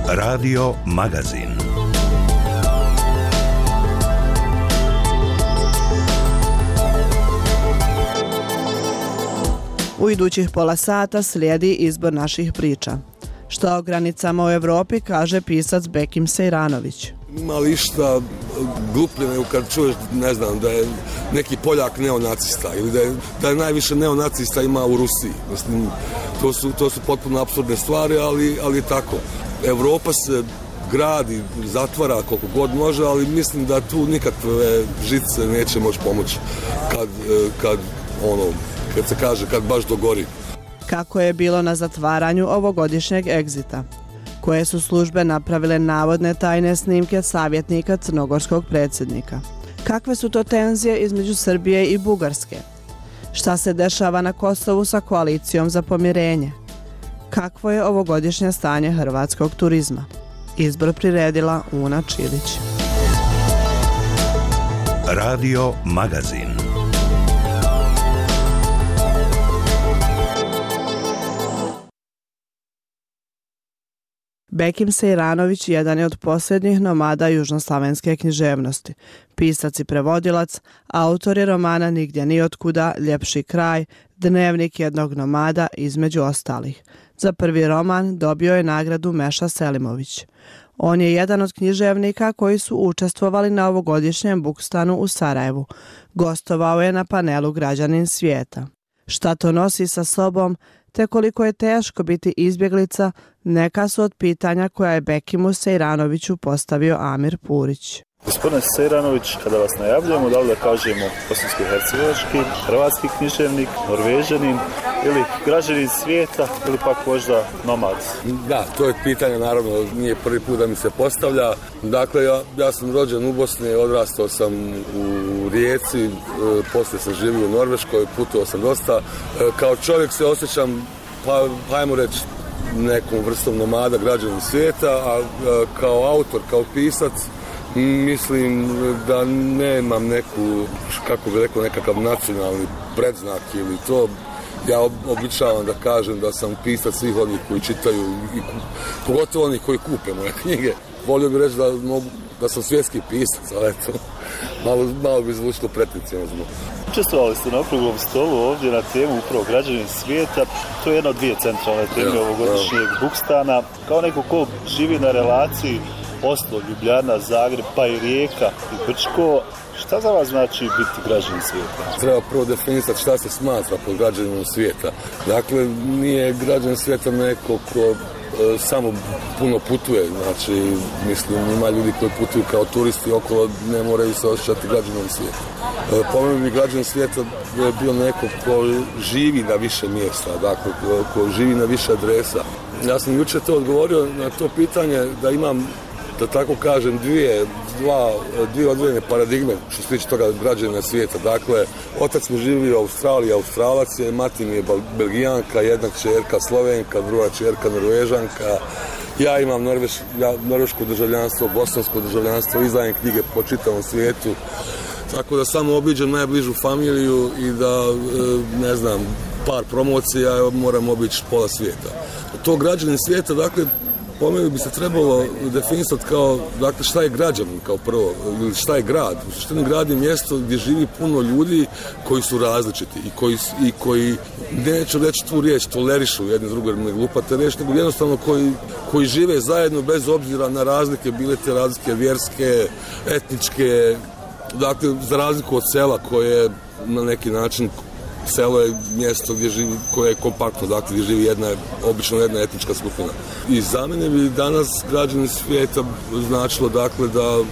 Radio Magazin. U idućih pola sata slijedi izbor naših priča. Šta o granicama u Evropi kaže pisac Bekim Sejranović. Ima li išta gluplje nego kad čuješ, ne znam, da je neki Poljak neonacista ili da je, da je najviše neonacista ima u Rusiji. Mislim, to su, to su potpuno apsurdne stvari, ali, ali tako. Evropa se gradi, zatvara koliko god može, ali mislim da tu nikakve žice neće moći pomoći kad, kad, ono, kad se kaže, kad baš dogori. Kako je bilo na zatvaranju ovogodišnjeg egzita? Koje su službe napravile navodne tajne snimke savjetnika crnogorskog predsjednika? Kakve su to tenzije između Srbije i Bugarske? Šta se dešava na Kosovu sa koalicijom za pomirenje? Kakvo je ovogodišnje stanje hrvatskog turizma? Izbor priredila Una Čilić. Radio Magazin. Bekim Sejranović jedan je od posljednjih nomada južnoslavenske književnosti. Pisac i prevodilac, autor je romana Nigdje ni otkuda, Ljepši kraj, Dnevnik jednog nomada, između ostalih. Za prvi roman dobio je nagradu Meša Selimović. On je jedan od književnika koji su učestvovali na ovogodišnjem Bukstanu u Sarajevu. Gostovao je na panelu Građanin svijeta. Šta to nosi sa sobom, te koliko je teško biti izbjeglica, neka su od pitanja koja je Bekimu Sejranoviću postavio Amir Purić. Gospodine Sejranović, kada vas najavljujemo, da li da kažemo bosansko-hercegovački, hrvatski književnik, norvežanin ili građanin svijeta ili pak možda nomad? Da, to je pitanje, naravno, nije prvi put da mi se postavlja. Dakle, ja, ja sam rođen u Bosni, odrastao sam u Rijeci, e, poslije sam živio u Norveškoj, putovao sam dosta. E, kao čovjek se osjećam, pa hajmo reći, nekom vrstom nomada, građanin svijeta, a e, kao autor, kao pisac, mislim da nemam neku, kako bi rekao, nekakav nacionalni predznak ili to. Ja običavam da kažem da sam pisac svih onih koji čitaju, i pogotovo onih koji kupe moje knjige. Volio bih reći da, mogu, da sam svjetski pisac, ali eto, malo, malo bi zvučilo pretenciozno. Učestvovali ste na okruglom stolu ovdje na temu upravo građanin svijeta. To je jedna od dvije centralne teme ja, ovogodišnjeg ja. Bukstana. Kao neko ko živi na relaciji Oslo, Ljubljana, Zagreb, pa i Rijeka i Brčko, šta za vas znači biti građanin svijeta? Treba prvo definisati šta se smatra pod građaninom svijeta. Dakle, nije građanin svijeta neko ko e, samo puno putuje. Znači, mislim, ima ljudi koji putuju kao turisti okolo, ne moraju se osjećati građanom svijeta. E, po meni bi građanin svijeta bio neko ko živi na više mjesta, dakle, ko, ko živi na više adresa. Ja sam jučer to odgovorio na to pitanje da imam, da tako kažem, dvije, dva, dvije odvojene paradigme što se tiče toga građanina svijeta. Dakle, otac mi živi u Australiji, Australac je, mati mi je Belgijanka, jedna kćerka Slovenka, druga kćerka Norvežanka. Ja imam norveš, ja, norveško državljanstvo, bosansko državljanstvo, izdajem knjige po čitavom svijetu. Tako da samo obiđem najbližu familiju i da, ne znam, par promocija, moram obići pola svijeta. To građanin svijeta, dakle, po meni bi se trebalo definisati kao, dakle, šta je građanin kao prvo, ili šta je grad. U suštini grad je mjesto gdje živi puno ljudi koji su različiti i koji, i koji neću reći tu riječ, tolerišu jedni druge, ne glupate reći, nego jednostavno koji, koji žive zajedno bez obzira na razlike, bile te razlike vjerske, etničke, dakle, za razliku od sela koje na neki način selo je mjesto gdje živi, koje je kompaktno, dakle gdje živi jedna, obično jedna etnička skupina. I za mene bi danas građani svijeta značilo dakle da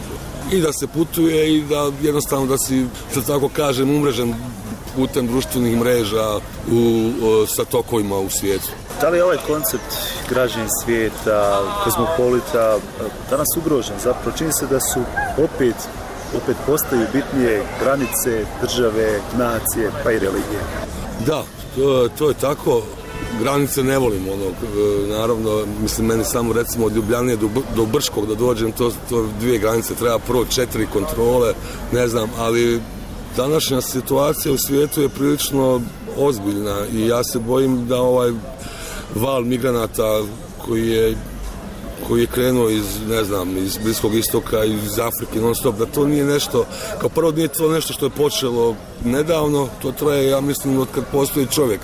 i da se putuje i da jednostavno da si, da tako kažem, umrežen putem društvenih mreža u, u, sa tokovima u svijetu. Da li je ovaj koncept građani svijeta, kozmopolita danas ugrožen? Zapravo čini se da su opet, opet postaju bitnije granice, države, nacije pa i religije. Da, to, to je tako. Granice ne volim, ono, naravno, mislim, meni samo recimo od Ljubljane do, do Brškog da dođem, to, to dvije granice, treba prvo četiri kontrole, ne znam, ali današnja situacija u svijetu je prilično ozbiljna i ja se bojim da ovaj val migranata koji je koji je krenuo iz, ne znam, iz Bliskog istoka, iz Afrike non stop, da to nije nešto, kao prvo nije to nešto što je počelo nedavno, to traje, ja mislim, od kad postoji čovjek.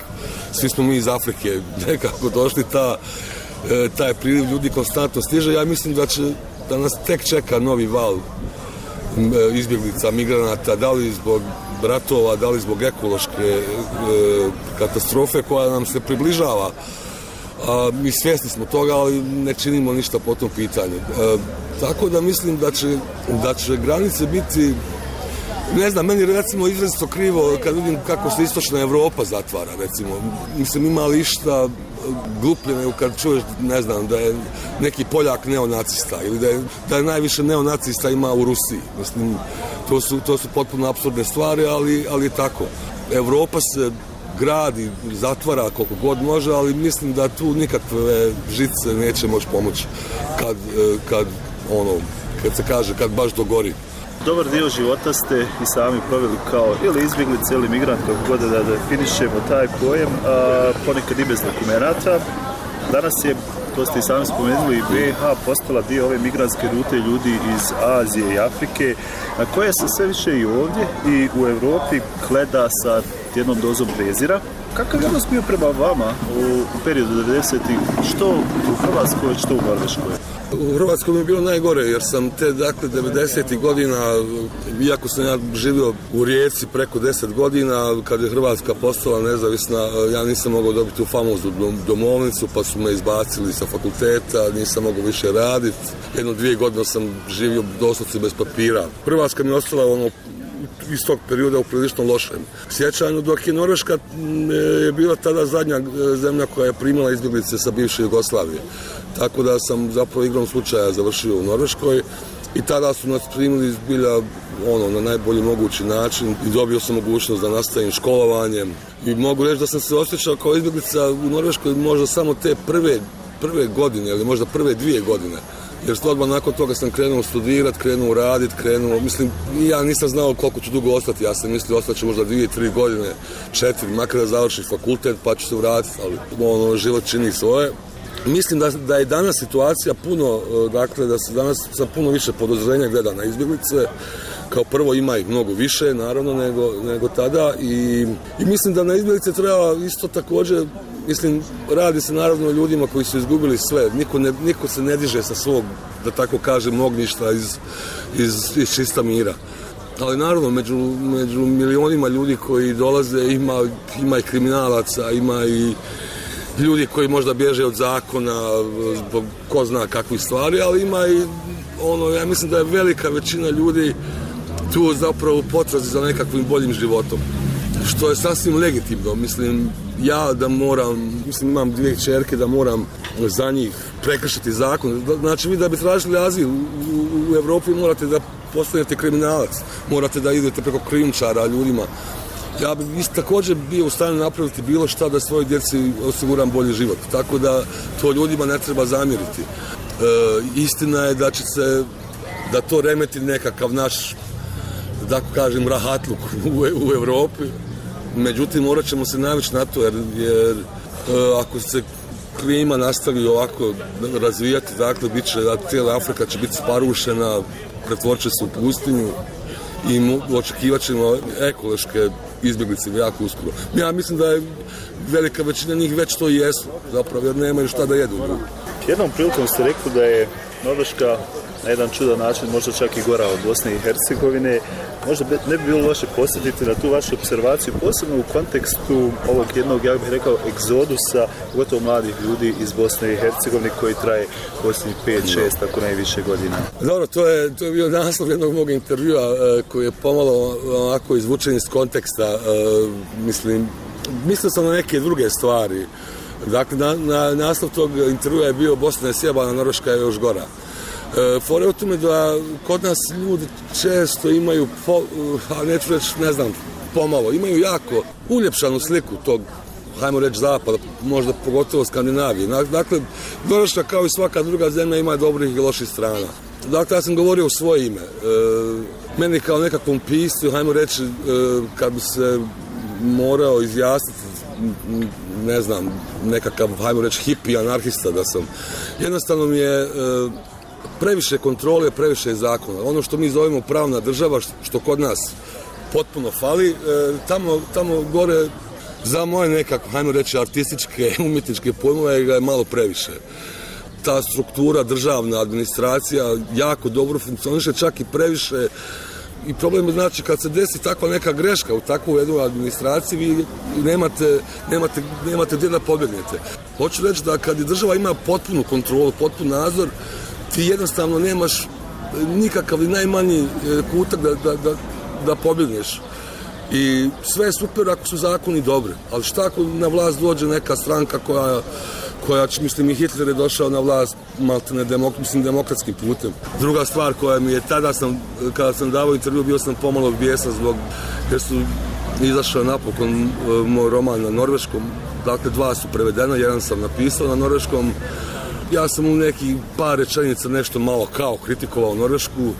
Svi smo mi iz Afrike nekako došli, ta, taj priliv ljudi konstantno stiže, ja mislim da će, da nas tek čeka novi val izbjeglica, migranata, da li zbog ratova, da li zbog ekološke e, katastrofe koja nam se približava. A, mi svjesni smo toga, ali ne činimo ništa po tom pitanju. E, tako da mislim da će, da će granice biti, ne znam, meni recimo izrazito krivo kad vidim kako se istočna Evropa zatvara, recimo. Mislim, ima li išta gluplje nego kad čuješ, ne znam, da je neki Poljak neonacista ili da je, da je najviše neonacista ima u Rusiji. Mislim, to su, to su potpuno apsurdne stvari, ali, ali je tako. Evropa se gradi, zatvara koliko god može, ali mislim da tu nikakve žice neće moći pomoći kad, kad, ono, kad se kaže, kad baš dogori. Dobar dio života ste i sami proveli kao ili izbjeglice ili migrant, kako god da definišemo taj pojem, a ponekad i bez dokumenata. Danas je, to ste i sami spomenuli, B H postala dio ove migrantske rute ljudi iz Azije i Afrike, na koje se sve više i ovdje i u Europi gleda sa jednom dozom prezira. Kakav je odnos bio prema vama u periodu devedesetih, što u Hrvatskoj, što u Norveškoj? U Hrvatskoj mi je bilo najgore, jer sam te, dakle, devedesetih godina, iako sam ja živio u Rijeci preko deset godina, kad je Hrvatska postala nezavisna, ja nisam mogao dobiti tu famoznu domovnicu, pa su me izbacili sa fakulteta, nisam mogao više raditi. Jedno dvije godine sam živio doslovce bez papira. Hrvatska mi je ostala ono iz tog perioda u prilično lošem sjećanju, dok je Norveška je bila tada zadnja zemlja koja je primala izbjeglice sa bivše Jugoslavije. Tako da sam zapravo igrom slučaja završio u Norveškoj i tada su nas primili zbilja ono, na najbolji mogući način i dobio sam mogućnost da nastavim školovanjem. I mogu reći da sam se osjećao kao izbjeglica u Norveškoj možda samo te prve, prve godine ili možda prve dvije godine. Jer odmah nakon toga sam krenuo studirati, krenuo raditi, krenuo, mislim, ja nisam znao koliko ću dugo ostati, ja sam mislio ostati ću možda dvije, tri godine, četiri, makar da završim fakultet pa ću se vratiti, ali ono, život čini svoje. Mislim da, da je danas situacija puno, dakle, da se danas sa puno više podozrenja gleda na izbjeglice. Kao prvo ima ih mnogo više, naravno, nego, nego tada i, i mislim da na izbjeglice treba isto također, mislim, radi se naravno o ljudima koji su izgubili sve, niko, ne, niko se ne diže sa svog, da tako kažem, ognjišta iz, iz, iz čista mira. Ali naravno, među, među milionima ljudi koji dolaze ima, ima i kriminalaca, ima i ljudi koji možda bježe od zakona zbog ko zna kakvih stvari, ali ima i ono, ja mislim da je velika većina ljudi tu zapravo u potrazi za nekakvim boljim životom, što je sasvim legitimno. Mislim, ja da moram, mislim imam dvije kćerke, da moram za njih prekršiti zakon. Znači vi da bi tražili azil u, u, u Evropi morate da postanete kriminalac, morate da idete preko krijumčara ljudima. Ja bi isto također bio u stanju napraviti bilo šta da svojoj djeci osiguram bolji život. Tako da to ljudima ne treba zamjeriti. E, istina je da će se, da to remeti nekakav naš, da tako kažem, rahatluk u, u Evropi. Međutim, morat ćemo se navići na to, jer, jer e, ako se klima nastavi ovako razvijati, dakle, bit će, da cijela Afrika će biti sparušena, pretvorit će se u pustinju i očekivat ćemo ekološke izbjeglice jako uskoro. Ja mislim da je velika većina njih već to i jesu, zapravo, jer nemaju šta da jedu. Jednom prilikom ste rekli da je Norveška na jedan čudan način, možda čak i gora od Bosne i Hercegovine. Možda ne bi bilo loše posjetiti na tu vašu observaciju, posebno u kontekstu ovog jednog, ja bih rekao, egzodusa, gotovo mladih ljudi iz Bosne i Hercegovine koji traje posljednjih pet šest, ako najviše godina. Dobro, to je, to je bio naslov jednog mog intervjua e, koji je pomalo onako izvučen iz konteksta. E, mislim, mislio sam na neke druge stvari. Dakle, na, na, naslov tog intervjua je bio Bosna je sjebana, Norveška je još gora. E, fore u tome da kod nas ljudi često imaju, po, a neću reći, ne znam, pomalo, imaju jako uljepšanu sliku tog, hajmo reći, zapada, možda pogotovo Skandinavije. Dakle, Norveška kao i svaka druga zemlja ima dobrih i loših strana. Dakle, ja sam govorio u svoje ime. E, meni kao nekakvom piscu, hajmo reći, e, kad bi se morao izjasniti, ne znam, nekakav, hajmo reći, hippie, anarhista da sam. Jednostavno mi je e, previše kontrole, previše zakona. Ono što mi zovemo pravna država, što kod nas potpuno fali, e, tamo, tamo gore za moje nekako, hajmo reći, artističke, umjetničke pojmove ga je malo previše. Ta struktura, državna administracija jako dobro funkcioniše, čak i previše. I problem je, znači, kad se desi takva neka greška u takvu jednu administraciji, vi nemate, nemate, nemate gdje da pobjegnete. Hoću reći da kad država ima potpunu kontrolu, potpun nadzor, ti jednostavno nemaš nikakav i najmanji kutak da, da, da, da pobjegneš. I sve je super ako su zakoni dobri, ali šta ako na vlast dođe neka stranka koja, koja mislim, i Hitler je došao na vlast maltene demok, mislim, demokratskim putem. Druga stvar koja mi je, tada sam, kada sam davao intervju, bio sam pomalo bijesan zbog, jer su izašao napokon moj roman na norveškom, dakle dva su prevedena, jedan sam napisao na norveškom. Ja sam u neki par rečenica nešto malo kao kritikovao Norvešku,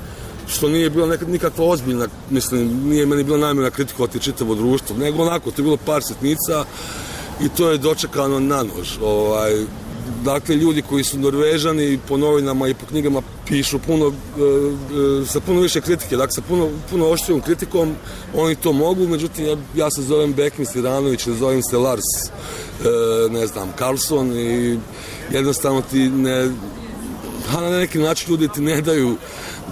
što nije bilo neka, nikakva ozbiljna, mislim, nije meni bilo namjerno kritikovati čitavo društvo, nego onako, to je bilo par sitnica i to je dočekano na nož. Ovaj, dakle, ljudi koji su Norvežani po novinama i po knjigama pišu puno, e, sa puno više kritike, dakle, sa puno, puno oštrijom kritikom, oni to mogu, međutim, ja, ja se zovem Bekmi Siranović, zovem se Lars, e, ne znam, Karlsson i jednostavno ti ne, na neki način ljudi ti ne daju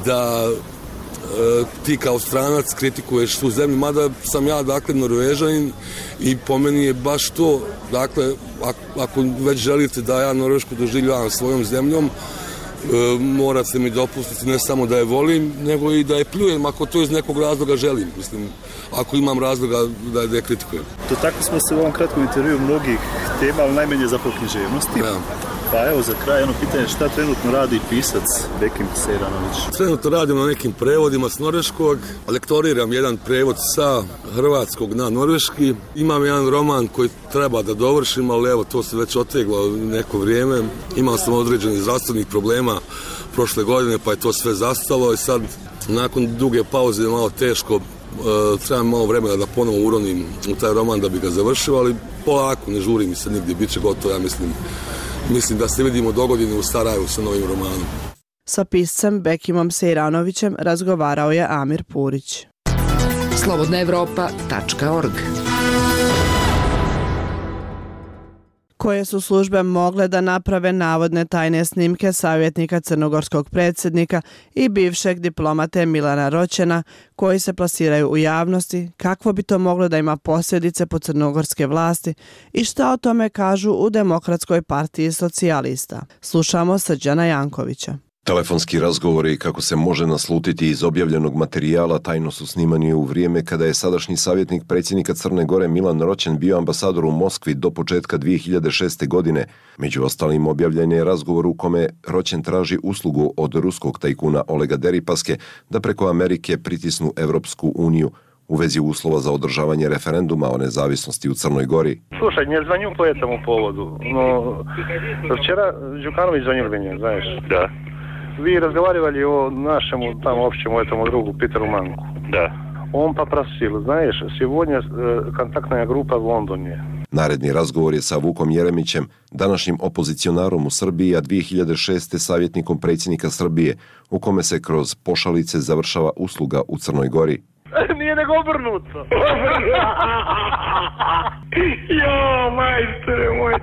da e, ti kao stranac kritikuješ tu zemlju, mada sam ja, dakle, Norvežanin i po meni je baš to, dakle, ako, ako već želite da ja Norvešku doživljavam svojom zemljom, e, morate mi dopustiti ne samo da je volim, nego i da je pljujem ako to iz nekog razloga želim, mislim, ako imam razloga da, da je kritikujem. To tako smo se u ovom kratkom intervju mnogih tema, ali najmanje zapravo književnosti. Ja. Pa evo za kraj jedno pitanje, šta trenutno radi pisac Bekim Sejranović? Trenutno radim na nekim prevodima s norveškog, lektoriram jedan prevod sa hrvatskog na norveški. Imam jedan roman koji treba da dovršim, ali evo to se već oteglo neko vrijeme. Imao sam određenih zdravstvenih problema prošle godine, pa je to sve zastalo i sad nakon duge pauze je malo teško, e, trebam malo vremena da ponovo uronim u taj roman da bi ga završio, ali polako, ne žuri mi se nigdje, bit će gotovo, ja mislim. Mislim da se vidimo dogodine u Sarajevu sa novim romanom. Sa piscem Bekimom Sejranovićem razgovarao je Amir Purić. slobodna evropa tačka org. Koje su službe mogle da naprave navodne tajne snimke savjetnika crnogorskog predsjednika i bivšeg diplomate Milana Roćena koji se plasiraju u javnosti, kakvo bi to moglo da ima posljedice po crnogorske vlasti i šta o tome kažu u Demokratskoj partiji socijalista. Slušamo Srđana Jankovića. Telefonski razgovori, kako se može naslutiti iz objavljenog materijala, tajno su snimani u vrijeme kada je sadašnji savjetnik predsjednika Crne Gore Milan Roćen bio ambasador u Moskvi do početka dvije hiljade šeste. godine. Među ostalim objavljen je razgovor u kome Roćen traži uslugu od ruskog tajkuna Olega Deripaske da preko Amerike pritisnu Evropsku uniju u vezi uslova za održavanje referenduma o nezavisnosti u Crnoj Gori. Слушай, не звоню по этому поводу, но вчера Đukanović звонил мне, знаешь. Да. Вы разговаривали о нашему там общему этому другу Питеру Манку. Да. Он попросил, знаешь, сегодня контактная группа в Лондоне. Naredni razgovor je sa Vukom Jeremićem, današnjim opozicionarom u Srbiji, a dvije hiljade šeste. savjetnikom predsjednika Srbije, u kome se kroz pošalice završava usluga u Crnoj Gori. Nije nego obrnuto. Jo, majstore moj.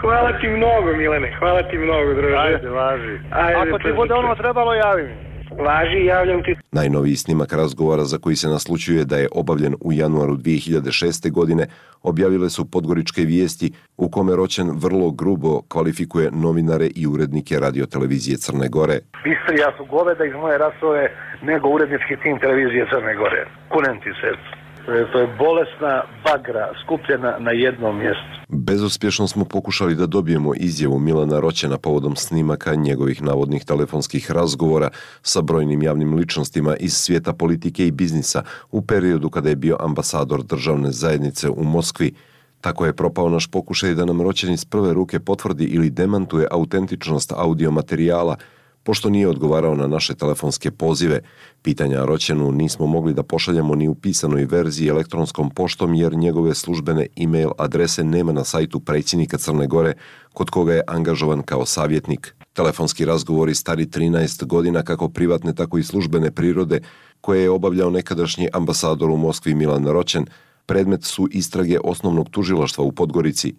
Hvala ti mnogo, Milene. Hvala ti mnogo, druže. Ajde, važi. Ajde, ako ti bude ono trebalo, javi mi. Važi, javljam ti. Najnoviji snimak razgovora za koji se naslućuje da je obavljen u januaru dvije hiljade šeste. godine objavile su Podgoričke vijesti u kome Roćen vrlo grubo kvalifikuje novinare i urednike radiotelevizije Crne Gore. Bistrija su goveda iz moje rasove nego urednički tim televizije Crne Gore. Kunem ti srcu. To je bolesna bagra skupljena na jednom mjestu. Bezuspješno smo pokušali da dobijemo izjavu Milana Roćena povodom snimaka njegovih navodnih telefonskih razgovora sa brojnim javnim ličnostima iz svijeta politike i biznisa u periodu kada je bio ambasador državne zajednice u Moskvi. Tako je propao naš pokušaj da nam Roćen iz prve ruke potvrdi ili demantuje autentičnost audio materijala, pošto nije odgovarao na naše telefonske pozive. Pitanja Roćenu nismo mogli da pošaljemo ni u pisanoj verziji elektronskom poštom jer njegove službene e-mail adrese nema na sajtu predsjednika Crne Gore, kod koga je angažovan kao savjetnik. Telefonski razgovori stari trinaest godina kako privatne tako i službene prirode koje je obavljao nekadašnji ambasador u Moskvi Milan Roćen, predmet su istrage osnovnog tužilaštva u Podgorici.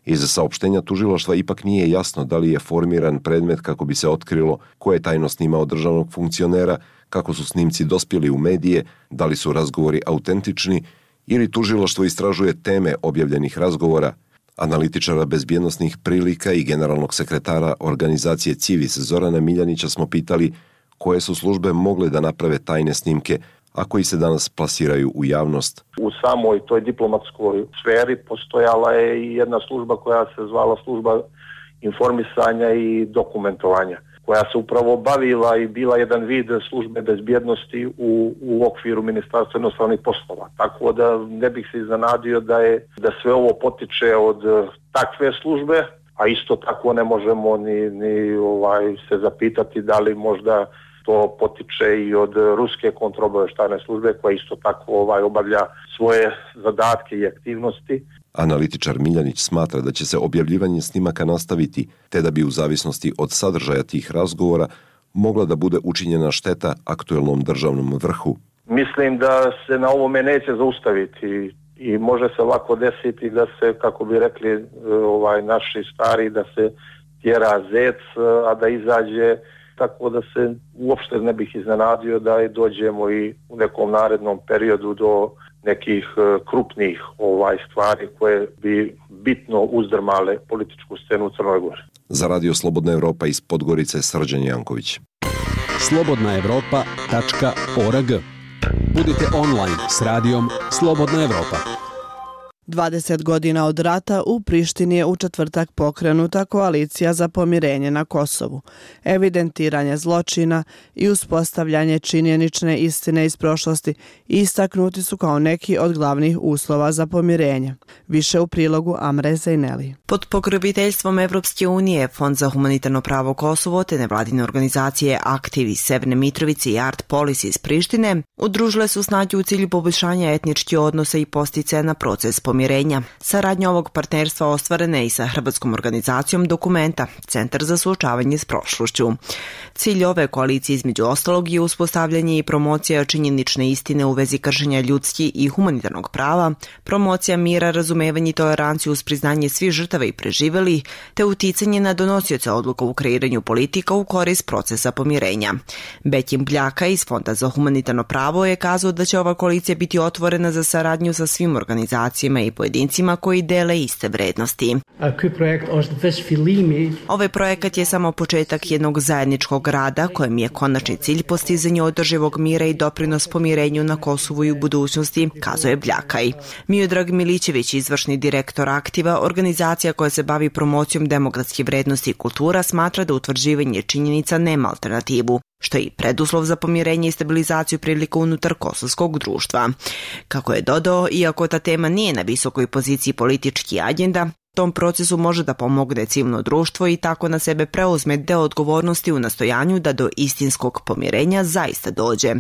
Iz saopštenja tužilaštva ipak nije jasno da li je formiran predmet kako bi se otkrilo ko je tajno snimao državnog funkcionera, kako su snimci dospjeli u medije, da li su razgovori autentični ili tužilaštvo istražuje teme objavljenih razgovora. Analitičara bezbjednosnih prilika i generalnog sekretara organizacije Civis Zorana Miljanića smo pitali koje su službe mogle da naprave tajne snimke, a koji se danas plasiraju u javnost. U samoj toj diplomatskoj sferi postojala je i jedna služba koja se zvala služba informisanja i dokumentovanja, koja se upravo bavila i bila jedan vid službe bezbjednosti u, u okviru Ministarstva inostranih poslova. Tako da ne bih se iznenadio da je da sve ovo potiče od takve službe, a isto tako ne možemo ni, ni ovaj, se zapitati da li možda to potiče i od ruske kontraobavještajne službe koja isto tako ovaj obavlja svoje zadatke i aktivnosti. Analitičar Miljanić smatra da će se objavljivanje snimaka nastaviti, te da bi u zavisnosti od sadržaja tih razgovora mogla da bude učinjena šteta aktuelnom državnom vrhu. Mislim da se na ovome neće zaustaviti i može se lako desiti da se, kako bi rekli ovaj naši stari, da se tjera zec, a da izađe, tako da se uopšte ne bih iznenadio da i dođemo i u nekom narednom periodu do nekih krupnih ovaj stvari koje bi bitno uzdrmale političku scenu u Crnoj Gori. Za Radio Slobodna Evropa iz Podgorice Srđan Janković. slobodna evropa tačka org. Budite online s radijom Slobodna Evropa. dvadeset godina od rata u Prištini je u četvrtak pokrenuta koalicija za pomirenje na Kosovu. Evidentiranje zločina i uspostavljanje činjenične istine iz prošlosti istaknuti su kao neki od glavnih uslova za pomirenje. Više u prilogu Amre Zejneli. Pod pokroviteljstvom Evropske unije, Fond za humanitarno pravo Kosovo te nevladine organizacije Aktiv iz Severne Mitrovice i Art Policy iz Prištine udružile su snage u cilju poboljšanja etničkih odnosa i posticaja na proces pomirenja. Saradnja ovog partnerstva ostvarena je i sa hrvatskom organizacijom Dokumenta, Centar za suočavanje s prošlošću. Cilj ove koalicije između ostalog je uspostavljanje i promocija činjenične istine u vezi kršenja ljudskih i humanitarnog prava, promocija mira, razumevanje i toleranciju uz priznanje svih žrtava i preživeli, te uticanje na donosioce odluka u kreiranju politika u korist procesa pomirenja. Bekim Bljaka iz Fonda za humanitarno pravo je kazao da će ova koalicija biti otvorena za saradnju sa svim organizacijama i pojedincima koji dele iste vrednosti. Ovaj projekat je samo početak jednog zajedničkog rada kojem je konačni cilj postizanje održivog mira i doprinos pomirenju na Kosovu i u budućnosti, kazao je Bljakaj. Miodrag Milićević, izvršni direktor Aktiva, organizacija koja se bavi promocijom demokratskih vrednosti i kultura, smatra da utvrđivanje činjenica nema alternativu, što je i preduslov za pomirenje i stabilizaciju prilika unutar kosovskog društva. Kako je dodao, iako ta tema nije na visokoj poziciji politički agenda, tom procesu može da pomogne civilno društvo i tako na sebe preuzme deo odgovornosti u nastojanju da do istinskog pomirenja zaista dođe.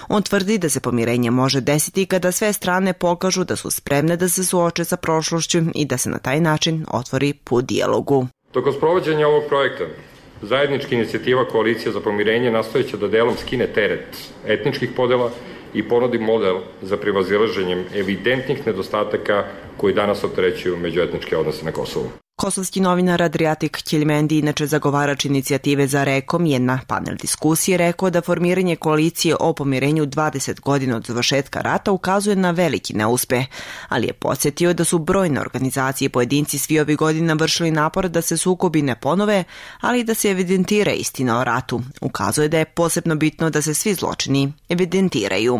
On tvrdi da se pomirenje može desiti kada sve strane pokažu da su spremne da se suoče sa prošlošću i da se na taj način otvori put dijalogu. Tokom sprovođenja ovog projekta, zajednička inicijativa Koalicija za pomirenje nastojeće da delom skine teret etničkih podela i ponudi model za prevazilaženjem evidentnih nedostataka koji danas opterećuju međuetničke odnose na Kosovu. Kosovski novinar Adriatik Ćeljmendi, inače zagovarač inicijative za Rekom, je na panel diskusije rekao da formiranje koalicije o pomirenju dvadeset godina od završetka rata ukazuje na veliki neuspeh, ali je podsjetio da su brojne organizacije i pojedinci svi ovih godina vršili napor da se sukobi ne ponove, ali i da se evidentira istina o ratu. Ukazuje da je posebno bitno da se svi zločini evidentiraju.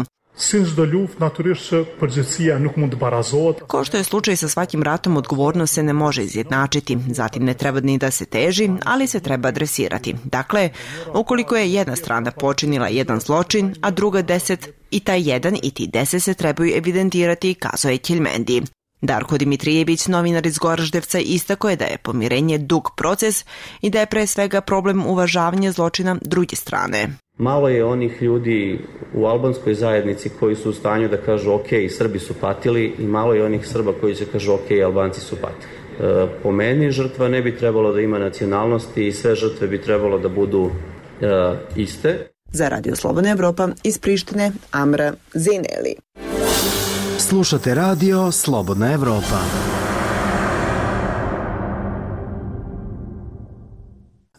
Kao što je slučaj sa svakim ratom, odgovornost se ne može izjednačiti, zatim ne treba ni da se teži, ali se treba adresirati. Dakle, ukoliko je jedna strana počinila jedan zločin, a druga deset, i taj jedan i ti deset se trebaju evidentirati, kazao je Ćeljmendi. Darko Dimitrijević, novinar iz Goraždevca, istako je da je pomirenje dug proces i da je pre svega problem uvažavanja zločina druge strane. Malo je onih ljudi u albanskoj zajednici koji su u stanju da kažu ok, Srbi su patili, i malo je onih Srba koji će kažu ok, Albanci su patili. E, po meni žrtva ne bi trebalo da ima nacionalnosti i sve žrtve bi trebalo da budu e, iste. Za Radio Slobodna Evropa iz Prištine, Amra Zineli. Slušate Radio Slobodna Evropa.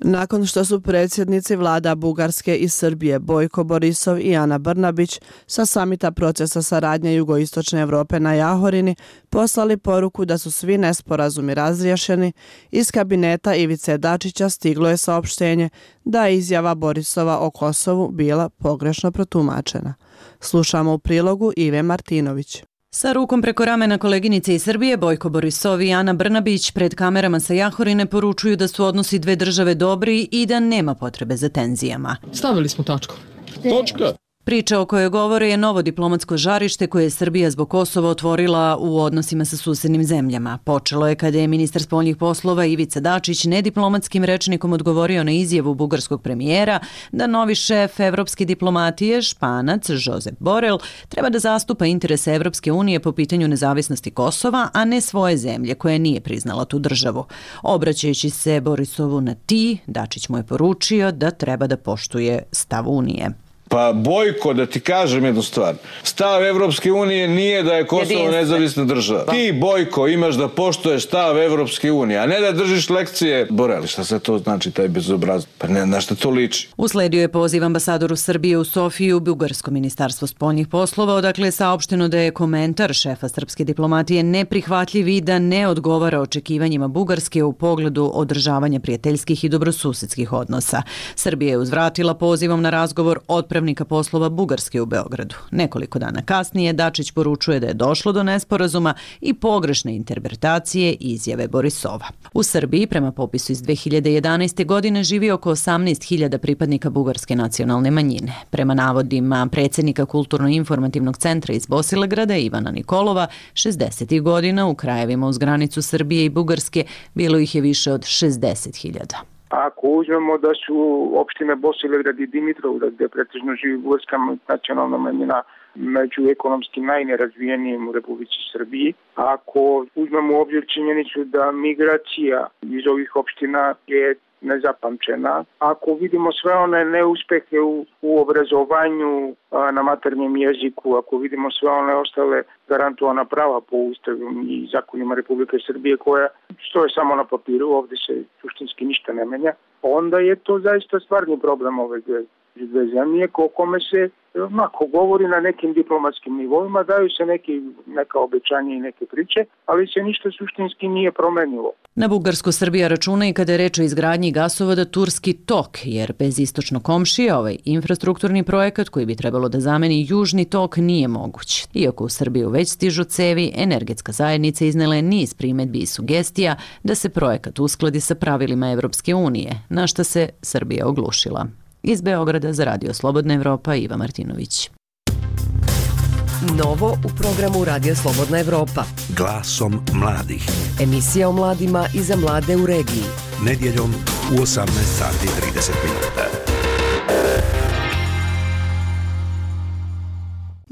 Nakon što su predsjednici vlada Bugarske i Srbije Bojko Borisov i Ana Brnabić sa samita procesa saradnje Jugoistočne Evrope na Jahorini poslali poruku da su svi nesporazumi razriješeni, iz kabineta Ivice Dačića stiglo je saopštenje da je izjava Borisova o Kosovu bila pogrešno protumačena. Slušamo u prilogu Ive Martinović. Sa rukom preko ramena koleginice iz Srbije, Bojko Borisov i Ana Brnabić pred kamerama sa Jahorine poručuju da su odnosi dve države dobri i da nema potrebe za tenzijama. Stavili smo tačku. Točka. Priča o kojoj govore je novo diplomatsko žarište koje je Srbija zbog Kosova otvorila u odnosima sa susednim zemljama. Počelo je kada je ministar spoljnih poslova Ivica Dačić nediplomatskim rečnikom odgovorio na izjavu bugarskog premijera da novi šef evropske diplomatije, Španac Josep Borrell, treba da zastupa interese Evropske unije po pitanju nezavisnosti Kosova, a ne svoje zemlje koja nije priznala tu državu. Obraćajući se Borisovu na ti, Dačić mu je poručio da treba da poštuje stav Unije. Pa Bojko, da ti kažem jednu stvar, stav Evropske unije nije da je Kosovo nezavisna država. Ti, Bojko, imaš da poštuješ stav Evropske unije, a ne da držiš lekcije Boreli. Šta se to znači, taj bezobraz? Pa ne, na šta to liči? Usledio je poziv ambasadoru Srbije u Sofiju, Bugarsko ministarstvo spoljnih poslova, odakle je saopšteno da je komentar šefa srpske diplomatije neprihvatljiv i da ne odgovara očekivanjima Bugarske u pogledu održavanja prijateljskih i dobrosusedskih odnosa. Srbija je uzvratila pozivom na razgovor odpravnika poslova Bugarske u Beogradu. Nekoliko dana kasnije Dačić poručuje da je došlo do nesporazuma i pogrešne interpretacije izjave Borisova. U Srbiji, prema popisu iz dve hiljade jedanaeste. godine, živi oko osamnaest hiljada pripadnika bugarske nacionalne manjine. Prema navodima predsjednika Kulturno-informativnog centra iz Bosilegrada Ivana Nikolova, šezdesetih godina u krajevima uz granicu Srbije i Bugarske bilo ih je više od šezdeset hiljada. Ako uzmemo da su opštine Bosilegrad i Dimitrovgrad, gde pretežno živi bugarska nacionalna manjina, među ekonomski najnerazvijenijim u Republici Srbiji, ako uzmemo u obzir činjenicu da migracija iz ovih opština je nezapamćena, ako vidimo sve one neuspehe u, u obrazovanju a, na maternjem jeziku, ako vidimo sve one ostale garantovana prava po ustavu i zakonima Republike Srbije koja stoje samo na papiru, ovdje se suštinski ništa ne menja, onda je to zaista stvarni problem ove dve, dve zemlje, ko kome se ako govori na nekim diplomatskim nivoima, daju se neki, neka obećanja i neke priče, ali se ništa suštinski nije promenilo. Na Bugarsku Srbija računa i kada je reč o izgradnji gasovoda Turski tok, jer bez istočno komšije ovaj infrastrukturni projekat koji bi trebalo da zameni Južni tok nije moguć. Iako u Srbiju već stižu cevi, energetska zajednica iznela je niz primedbi i sugestija da se projekat uskladi sa pravilima Evropske unije, na šta se Srbija oglušila. Iz Beograda za Radio Slobodna Evropa, Iva Martinović. Novo u programu Radio Slobodna Evropa. Glasom mladih. Emisija o mladima i za mlade u regiji. Nedjeljom u osamnaest sati i trideset minuta.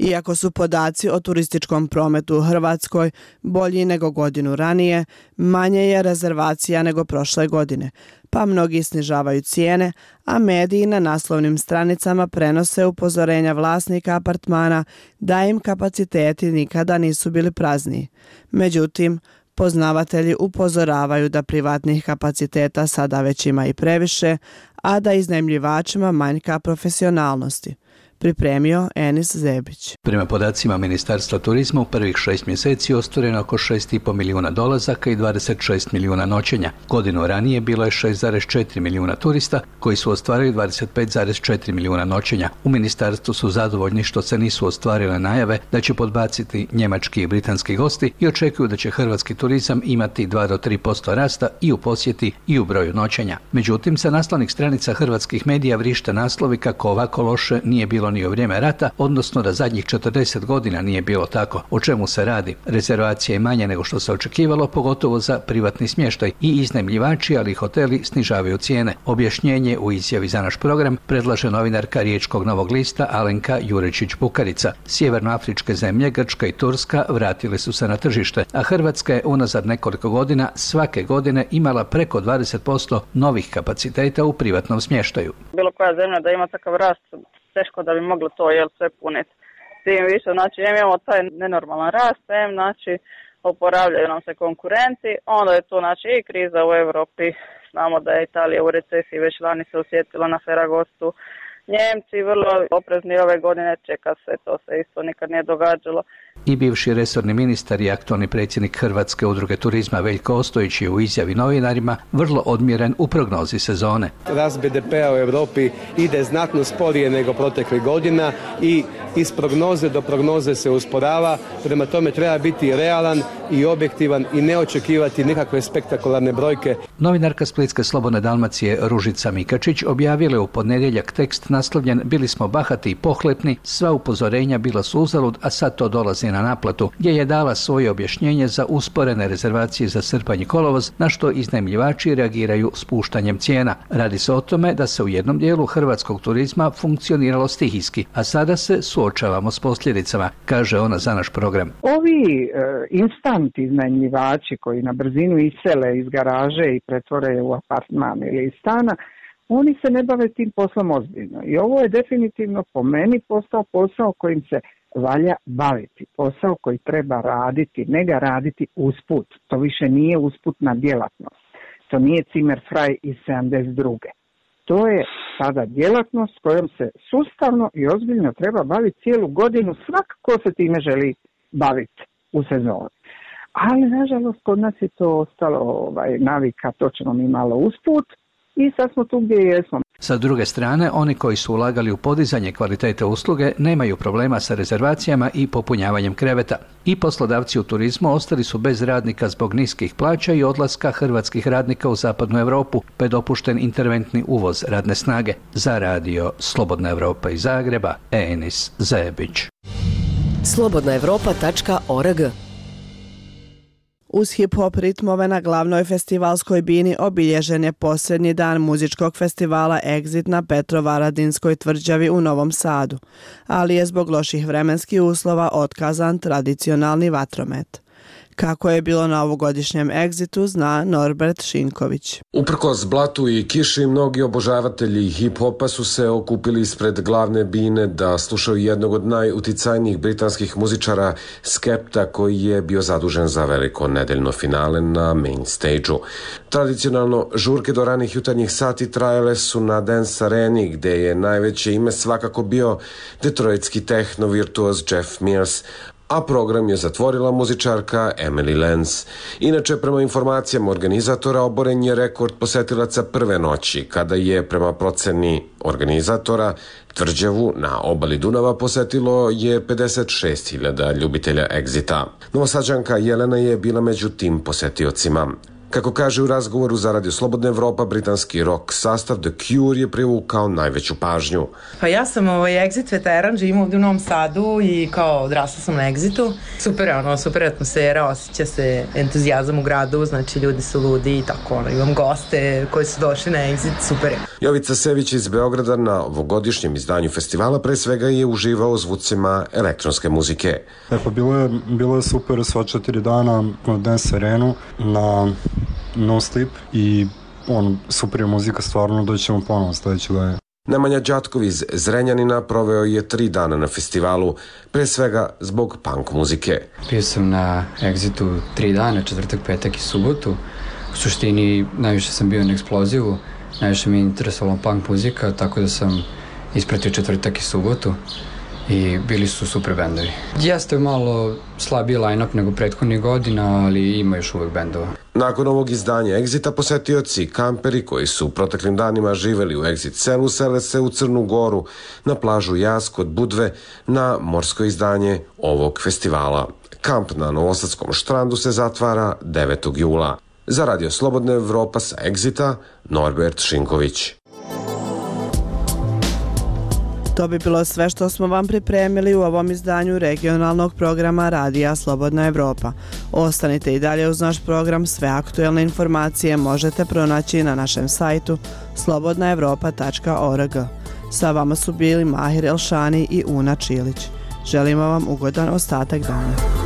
Iako su podaci o turističkom prometu u Hrvatskoj bolji nego godinu ranije, manje je rezervacija nego prošle godine, pa mnogi snižavaju cijene, a mediji na naslovnim stranicama prenose upozorenja vlasnika apartmana da im kapaciteti nikada nisu bili prazniji. Međutim, poznavatelji upozoravaju da privatnih kapaciteta sada već ima i previše, a da iznajmljivačima manjka profesionalnosti. Pripremio Enis Zebić. Prema podacima Ministarstva turizma u prvih šest mjeseci ostvareno oko šest i pol milijuna dolazaka i dvadeset šest milijuna noćenja. Godinu ranije bilo je šest zarez četiri milijuna turista koji su ostvarili dvadeset pet zarez četiri milijuna noćenja. U ministarstvu su zadovoljni što se nisu ostvarile najave da će podbaciti njemački i britanski gosti i očekuju da će hrvatski turizam imati dva do tri posto rasta i u posjeti i u broju noćenja. Međutim, sa naslovnih stranica hrvatskih medija vrište naslovi kako ovako loše nije bilo ni u vrijeme rata, odnosno da zadnjih četrdeset godina nije bilo tako. O čemu se radi? Rezervacija je manje nego što se očekivalo, pogotovo za privatni smještaj i iznajmljivači, ali i hoteli snižavaju cijene. Objašnjenje u izjavi za naš program predlaže novinarka Riječkog Novog lista Alenka Jurečić-Bukarica. Sjevernoafričke zemlje, Grčka i Turska vratile su se na tržište, a Hrvatska je unazad nekoliko godina svake godine imala preko dvadeset posto novih kapaciteta u privatnom smještaju. Bilo koja zemlja da ima takav rast, teško da bi moglo to jel sve puniti. Tim više, znači, imamo taj nenormalan rast, em, znači, oporavljaju nam se konkurenti, onda je tu, znači, i kriza u Europi, znamo da je Italija u recesiji, već lani se osjetila na Feragostu, Njemci vrlo oprezni ove godine, čeka se, to se isto nikad nije događalo. I bivši resorni ministar i aktualni predsjednik Hrvatske udruge turizma Veljko Ostojić je u izjavi novinarima vrlo odmjeren u prognozi sezone. Rast be de pea u Europi ide znatno sporije nego proteklih godina i iz prognoze do prognoze se usporava, prema tome treba biti realan i objektivan i ne očekivati nikakve spektakularne brojke. Novinarka Splitske Slobodne Dalmacije Ružica Mikačić objavila je u ponedjeljak tekst naslovljen "Bili smo bahati i pohlepni, sva upozorenja bila su uzalud, a sad to dolazi na naplatu", gdje je dala svoje objašnjenje za usporene rezervacije za srpanj i kolovoz, na što iznajmljivači reagiraju spuštanjem cijena. Radi se o tome da se u jednom dijelu hrvatskog turizma funkcioniralo stihijski, a sada se suočavamo s posljedicama, kaže ona za naš program. Ovi e, instant iznajmljivači koji na brzinu isele iz garaže i pretvore u apartman ili iz stana, oni se ne bave tim poslom ozbiljno. I ovo je definitivno po meni postao posao kojim se valja baviti. Posao koji treba raditi, ne ga raditi usput. To više nije usputna djelatnost. To nije Zimmerfrei iz sedamdeset druge. To je sada djelatnost kojom se sustavno i ozbiljno treba baviti cijelu godinu, svak ko se time želi baviti u sezoni. Ali, nažalost, kod nas je to ostalo ovaj, navika, to ćemo mi malo usput i sad smo tu gdje jesmo. Sa druge strane, oni koji su ulagali u podizanje kvalitete usluge nemaju problema sa rezervacijama i popunjavanjem kreveta. I poslodavci u turizmu ostali su bez radnika zbog niskih plaća i odlaska hrvatskih radnika u zapadnu Europu, pa je dopušten interventni uvoz radne snage. Za radio Slobodna Evropa iz Zagreba, Enis Zebić. slobodna evropa tačka org. Uz hip-hop ritmove na glavnoj festivalskoj bini obilježen je posljednji dan muzičkog festivala Exit na Petrovaradinskoj tvrđavi u Novom Sadu, ali je zbog loših vremenskih uslova otkazan tradicionalni vatromet. Kako je bilo na ovogodišnjem Exitu, zna Norbert Šinković. Uprkos blatu i kiši, mnogi obožavatelji hip-hopa su se okupili ispred glavne bine da slušaju jednog od najuticajnijih britanskih muzičara Skepta, koji je bio zadužen za veliko nedeljno finale na main stage-u. Tradicionalno, žurke do ranih jutarnjih sati trajale su na Dance Areni, gde je najveće ime svakako bio detroitski tehno virtuoz Jeff Mears, a program je zatvorila muzičarka Emily Lenz. Inače, prema informacijama organizatora, oboren je rekord posetilaca prve noći, kada je, prema proceni organizatora, tvrđavu na obali Dunava posetilo je pedeset šest hiljada ljubitelja Exita. Novosađanka Jelena je bila među tim posetiocima. Kako kaže u razgovoru za Radio Slobodna Evropa, britanski rock sastav The Cure je privukao najveću pažnju. Pa ja sam ovaj Exit veteran, živim ovdje u Novom Sadu i kao odrasla sam na Exitu. Super je ono, super atmosfera, osjeća se entuzijazam u gradu, znači ljudi su ludi i tako ono, imam goste koji su došli na Exit, super je. Jovica Sević iz Beograda na ovogodišnjem izdanju festivala pre svega je uživao zvucima elektronske muzike. E pa bilo je, bilo je super sva četiri dana na Dance Arenu, na No Sleep i on, super je muzika, stvarno doćemo ponovo sledeće godine. Nemanja Đatkov iz Zrenjanina proveo je tri dana na festivalu, pre svega zbog punk muzike. Bio sam na Exitu tri dana, četvrtak, petak i subotu. U suštini najviše sam bio na Eksplozivu, najviše mi je interesovala punk muzika, tako da sam ispratio četvrtak i subotu i bili su super bendovi. Jeste malo slabiji line-up nego prethodnih godina, ali ima još uvek bendova. Nakon ovog izdanja Exita posetioci i kamperi koji su u proteklim danima živeli u Exit selu sele se u Crnu Goru, na plažu Jaz kod Budve, na morsko izdanje ovog festivala. Kamp na Novosadskom štrandu se zatvara devetog jula. Za Radio Slobodna Evropa sa Exita, Norbert Šinković. To bi bilo sve što smo vam pripremili u ovom izdanju regionalnog programa Radija Slobodna Evropa. Ostanite i dalje uz naš program, sve aktuelne informacije možete pronaći na našem sajtu slobodna evropa tačka org. Sa vama su bili Mahir Elšani i Una Čilić. Želimo vam ugodan ostatak dana.